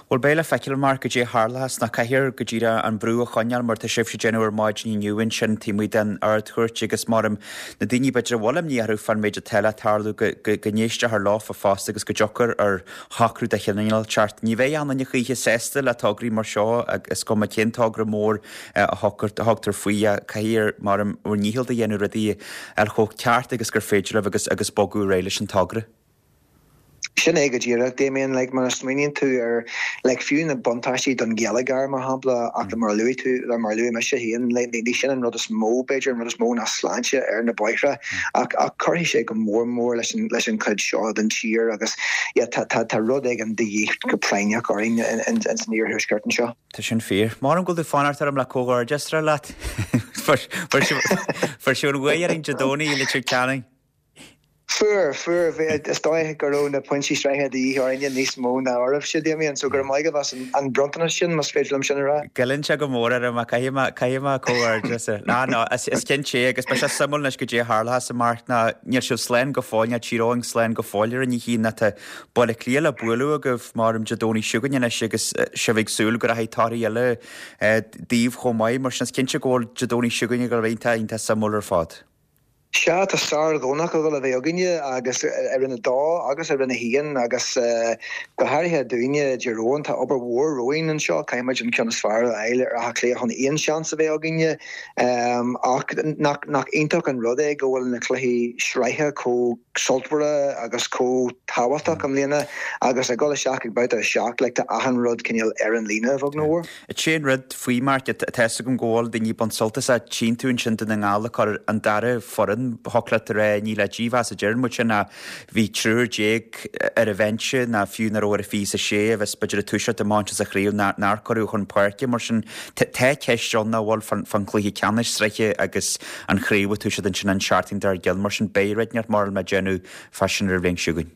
Bhuel beidh le feiceáil Mark goidé a tharlós ná caithfear go díreach an brú a choinneáil mar tá sibhse ag déanamh ar maidin inniu ansin taobh amuigh den Ard-Chúirt agus maram na daoine b'fhéidir a bhfuil imní orthu fán méid atá le tarlú go go n-éisteofar leofa fosta agus go dtiocfar ar shocrú de chineál inteacht. Ní bheidh aon duine choíche sásta le tograí mar seo is cuma cén togra mór a thugtar faoi caithfear maram bhur ndícheall do dhéanamh rudaí ar chomh ceart agus gur féidir libh agus agus bogadh ar aghaidh leis an togra. Sin é go díreach, Damien, like, mar a smaoiníonn tú ar like, fiú na buntáistí don gheilleagar, mar shampla, ach mar a luaigh tú, mar a luaigh mise féin, like, ní sin an rud is mó, b'fhéidir, an rud is mó ná sláinte ar na bóithre, ach ach cuirfidh sé go mór mór leis an leis an chuid seo den tír agus yeah, tá tá tá rud éigin de dhíth go práinneach orainn in in in san iarthuaisceart anseo. Tá sin fíor. Maram go bhfuil tú fanacht orm le comhghairdeas a rá leat. Fuair sibh an bhuaidh orainn Dé Domhnaigh i Leitir Ceanainn. Fuair, fuair, is dóigh go raibh na pointí sraithe de dhíth orainne níos mó ná oraibhse, Damien, so go raibh maith agaibh as an bronntanas sin, más féidir liom sin a rá. Goilleann sé go mór orm, caithfidh mé, caithfidh mé comhghairdeas a. Ná, ná, is, is cinnte é agus beidh sé suimiúil anois goidé a tharlós a Mark ná níl sibh slán go fóill, níl Tír Eoghain slán go fóill ar an ní ná tá Baile Átha Cliath le bualadh agaibh maram Dé Domhnaigh seo chugainn anois agus sibh ag súil go rachaidh torthaí eile daoibh chomh maith, mar sin is cinnte go bhfuil Dé Domhnaigh seo chugainn ag dul a bheith iontach, iontach suimiúil ar fad. Sea, tá sár-Dhomhnach ag dul a bheith againne agus i Roinn a Dó agus i Roinn a hAon agus go háirithe dúinne i dTír Eoghain, tá obair mhór romhainn anseo, caithfimid an ceann is fearr a fháil ar Áth Cliath chun aon seans a bheith againne. Ach nach nach iontach an rud é go bhfuil na cluichí sraithe chomh sultmhara agus chomh tábhachtach i mbliana agus ag dul isteach ag babhta a seacht, like tá achan rud cineál ar an líne a bheag nó a mhór. Sé an rud faoi Mark, tá a fhios agam go bhfuil daoine ag baint sult as a tchíonn tú ansin Dún na nGall ag cur an dara foireann thiocfadh leat a rá ní le dímheas a deir muid sin ach bhí triúr déag ar an bhinse ná fiú nach raibh ar an fiche is a sé a bheas b'fhéidir ag toiseacht amach anseo sa chraobh nár cuireadh chun páirce mar sin tá ceist ann nach bhfuil fán fán chluiche ceannais sraithe agus an chraobh ag toiseacht ansin an seachtain dár gcionn mar sin beidh rud inteacht mar le déanamh fá sin ar an bhliain seo chugainn.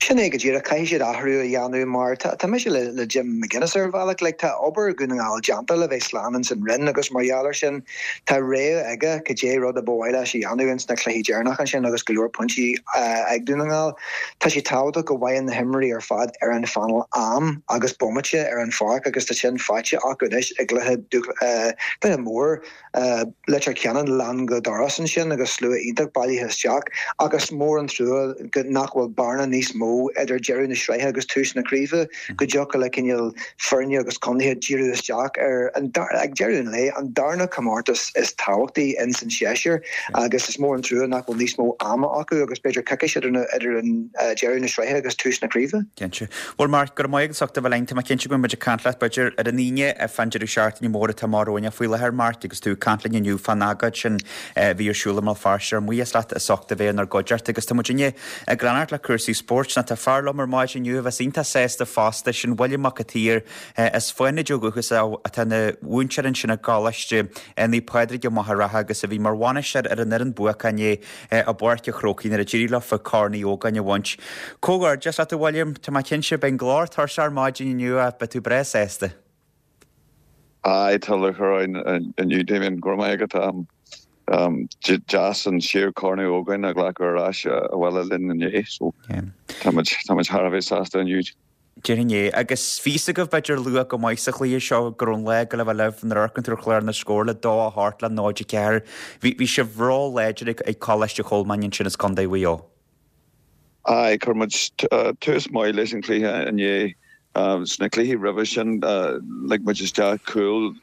Sin é go díreach, caithfidh siad athrú a dhéanamh mar tá tá mise le le Jim McGuinness ar bhealach, like tá obair Dhún na nGall déanta le bheith slán ins an Roinn agus mar gheall air sin tá rogha aige cad é rud a ba mhaith leis a dhéanamh ins na cluichí deireanacha ansin agus go leor pointí ag Dún na nGall. Tá sé tábhachtach go bhfaigheann na himreoirí ar fad ar an phainéal am agus bomaite ar an pháirc agus tá sin faighte acu anois i gcluiche cluiche mór Leitir Ceanainn lán go doras ansin agus slua iontach bailithe isteach ach is mór an trua go nach bhfuil bearna níos mó idir deireadh na sraithe agus tús na craoibhe go dtiocfadh le cineál foirne agus contaetha díriú isteach ar an ag deireadh an lae an darna comórtas is tábhachtaí in san séasúr agus is mór an trua nach bhfuil níos mó ama acu agus b'fhéidir coicís idir idir an deireadh na sraithe agus tús na craoibhe. Cinnte. Bhuel Mark, go raibh maith agat as ucht a bheith linn. Tá mé cinnte go mbeidh muid ag caint leat b'fhéidir ar an Aoine fán deireadh seachtaine mór atá amach romhainn faoi láthair Mark agus tú ag caint linn inniu fán agóid sin a bhí ar siúl i mBéal Feirste ár mbuíochas leat as ucht a bheith inár gcuideachta agus tá muid inniu ag leanacht le cúrsaí spóirt ná tá fear liom ar maidin inniu a bheas iontach sásta fosta sin William Mac an tSaoir as Fánaid ó dhúchas atá ina mhúinteoir ansin i gColáiste Naomh Pádraig i Machaire Rátha agus a bhí mar bhainisteoir ar an fhoireann buacach inné i bPáirc an Chrócaigh nuair a d'éirigh leofa Corn Uí Ógáin a bhaint. Comhghairdeas leat a William, tá mé cinnte beidh an glór tuirseach ar maidin inniu ach beidh tú breá sásta. Aye, tá lúcháir orainn inniu Damien, go raibh maith agat. Deas an séú Corn Uí Ógáin a ghlacadh ar ais abhaile linn inné, so tá muid tá muid thar a bheith sásta inniu. Déarfainn é. Agus bhí fhios agaibh b'fhéidir luath go maith sa chluiche seo go raibh an lá ag dul a bheith libh nuair a amharcann tú ar chlár na scór le dó a hocht le náid a ceathair. Bhí bhí sibh ró-láidir ag ag Coláiste Cholmáin ansin as Contae Mhaigh Eo. Aye, chuir muid tús maith leis an chluiche inné. Sna cluichí roimhe sin lig muid isteach cúl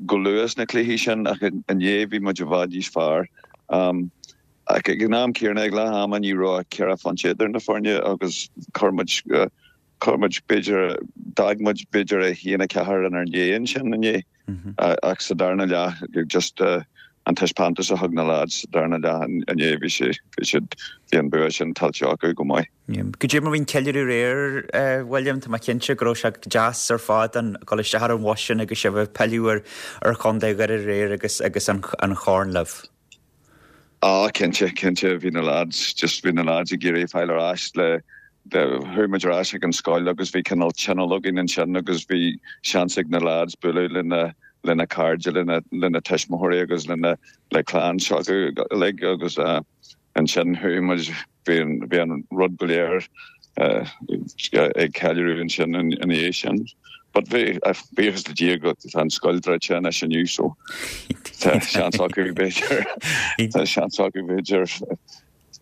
go luath sna cluichí sin ach inné bhí muid i bhfad níos fearr. Ach ag an am céanna ag leath ama ní raibh ach ceithre phointe idir na foirne agus chuir muid chuir muid b'fhéidir d'fhág muid b'fhéidir a haon a ceathair inár ndiaidh ansin inné ach sa darna leath just an taispeántas a thug na lads sa darna leath inné bhí sé bhí siad bhí an bua sin tuillte acu go maith. Goidé mar bhí an ceiliúradh aréir, a William, tá mé cinnte go raibh sé deas ar fad an dul isteach ar an bhus sin agus sibh ag pilleadh ar ar Chontae Dhoire aréir agus agus an an chorn libh. Ah cinnte, cinnte, bhí na lads, just bhí na lads ag iarraidh fáil ar ais le, chuaigh muid ar ais ag an scoil agus bhí cineál tionól againn ansin agus bhí seans ag na lads bualadh lena, lena cairde, lena, lena tuismitheoirí agus lena, le clann s'acu uilig agus eh ansin chuaigh muid, bhí an, bhí an rud go léir eh ag ceiliúradh ansin ina dhiaidh sin. But bhí, buíochas le Dia go tá an scoil druidte anois inniu so tá seans acu b'fhéidir, tá seans acu b'fhéidir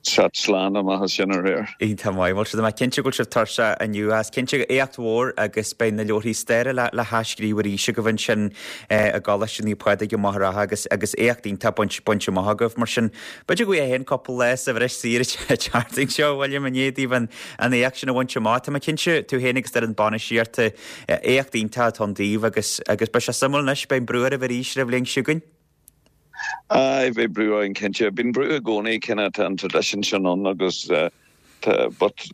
teacht slán amach as sin aréir. Iontach maith, bhuel tá mé cinnte go bhfuil sibh tuirseach inniu as, cinnte éacht mhór agus beidh na leabharthaí staire le le hathscríobh arís agaibh ansin i gColáiste Naomh Pádraig i Machaire Rátha agus agus éacht iontach bainte bainte amach agaibh mar sin b'fhéidir go bhfaighidh féin cúpla lá sa bhreis saoire an tseachtain seo, William, i ndiaidh daoibh an an éacht sin a bhaint amach. Tá mé cinnte, tú féin agus d'fhoireann bainistíochta, éacht iontach atá ann daoibh agus agus beidh sé suimiúil anois, beidh an brú oraibh arís ar an bhliain seo chugainn. Aye, beidh brú orainn cinnte. Bíonn brú i gcónaí, cineál tá an tradition sin ann agus tá but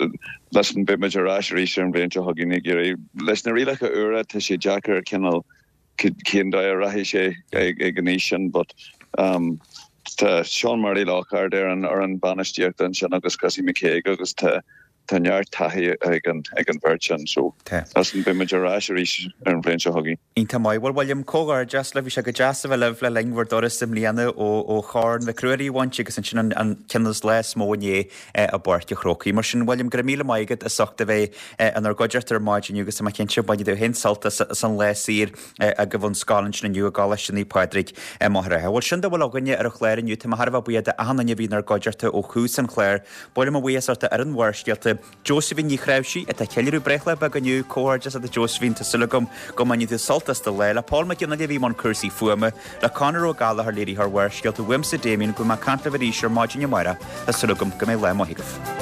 listen beidh muid ar ais arís ar an bhliain seo chugainn ag iarraidh leis na rialacha úra tá sé deacair cineál cén dóigh a rachaidh sé ag an aois sin but um Tá Sean Murray Lockhart ar an fhoireann bainistíochta ansin agus Chrissy McKaigue agus tá tá neart taithí ag an ag an bheirt sin so listen beidh muid ar ais arís ar an bhliain seo chugainn. Iontach maith. Bhuel William, comhghairdeas libh, bhí sé go deas a bheith libh le linn bhur dturas i mbliana ó ó Chorn Mhic Ruairí a bhaint agus ansin an an ceann is lá is mó inné i bPáirc an Chrócaigh. Mar sin William, go raibh míle maith agat as ucht a bheith inár gcuideachta ar maidin inniu agus tá mé cinnte bainfidh tú féin sult as as an lá saor agaibh ón scoil ansin inniu i gColáiste Naomh Pádraig i Machaire Rátha. Bhuel, sin dá bhfuil againne ar an chlár inniu. Tá mé thar a bheith buíoch d'achan duine a bhí inár gcuideachta ó thús an chláir. Ba mhaith liom mo bhuíochas a thabhairt d'fhoireann Bharrscéalta, Josephine Ní Chnáimhsí, atá ag ceiliúradh breithlá beag inniu. Comhghairdeas leat a Josephine, tá súil agam go mbainfidh tú sult as do lá. Le Paul Mac Fhionnghaile a bhí i mbun cúrsaí fuaime, le Conor Ó Gallchóir léiritheoir Bharrscéalta, uaimse Damien, go mbeidh mé ag caint libh arís ar maidin amárach. Tá súil agam go mbeidh lá maith agaibh.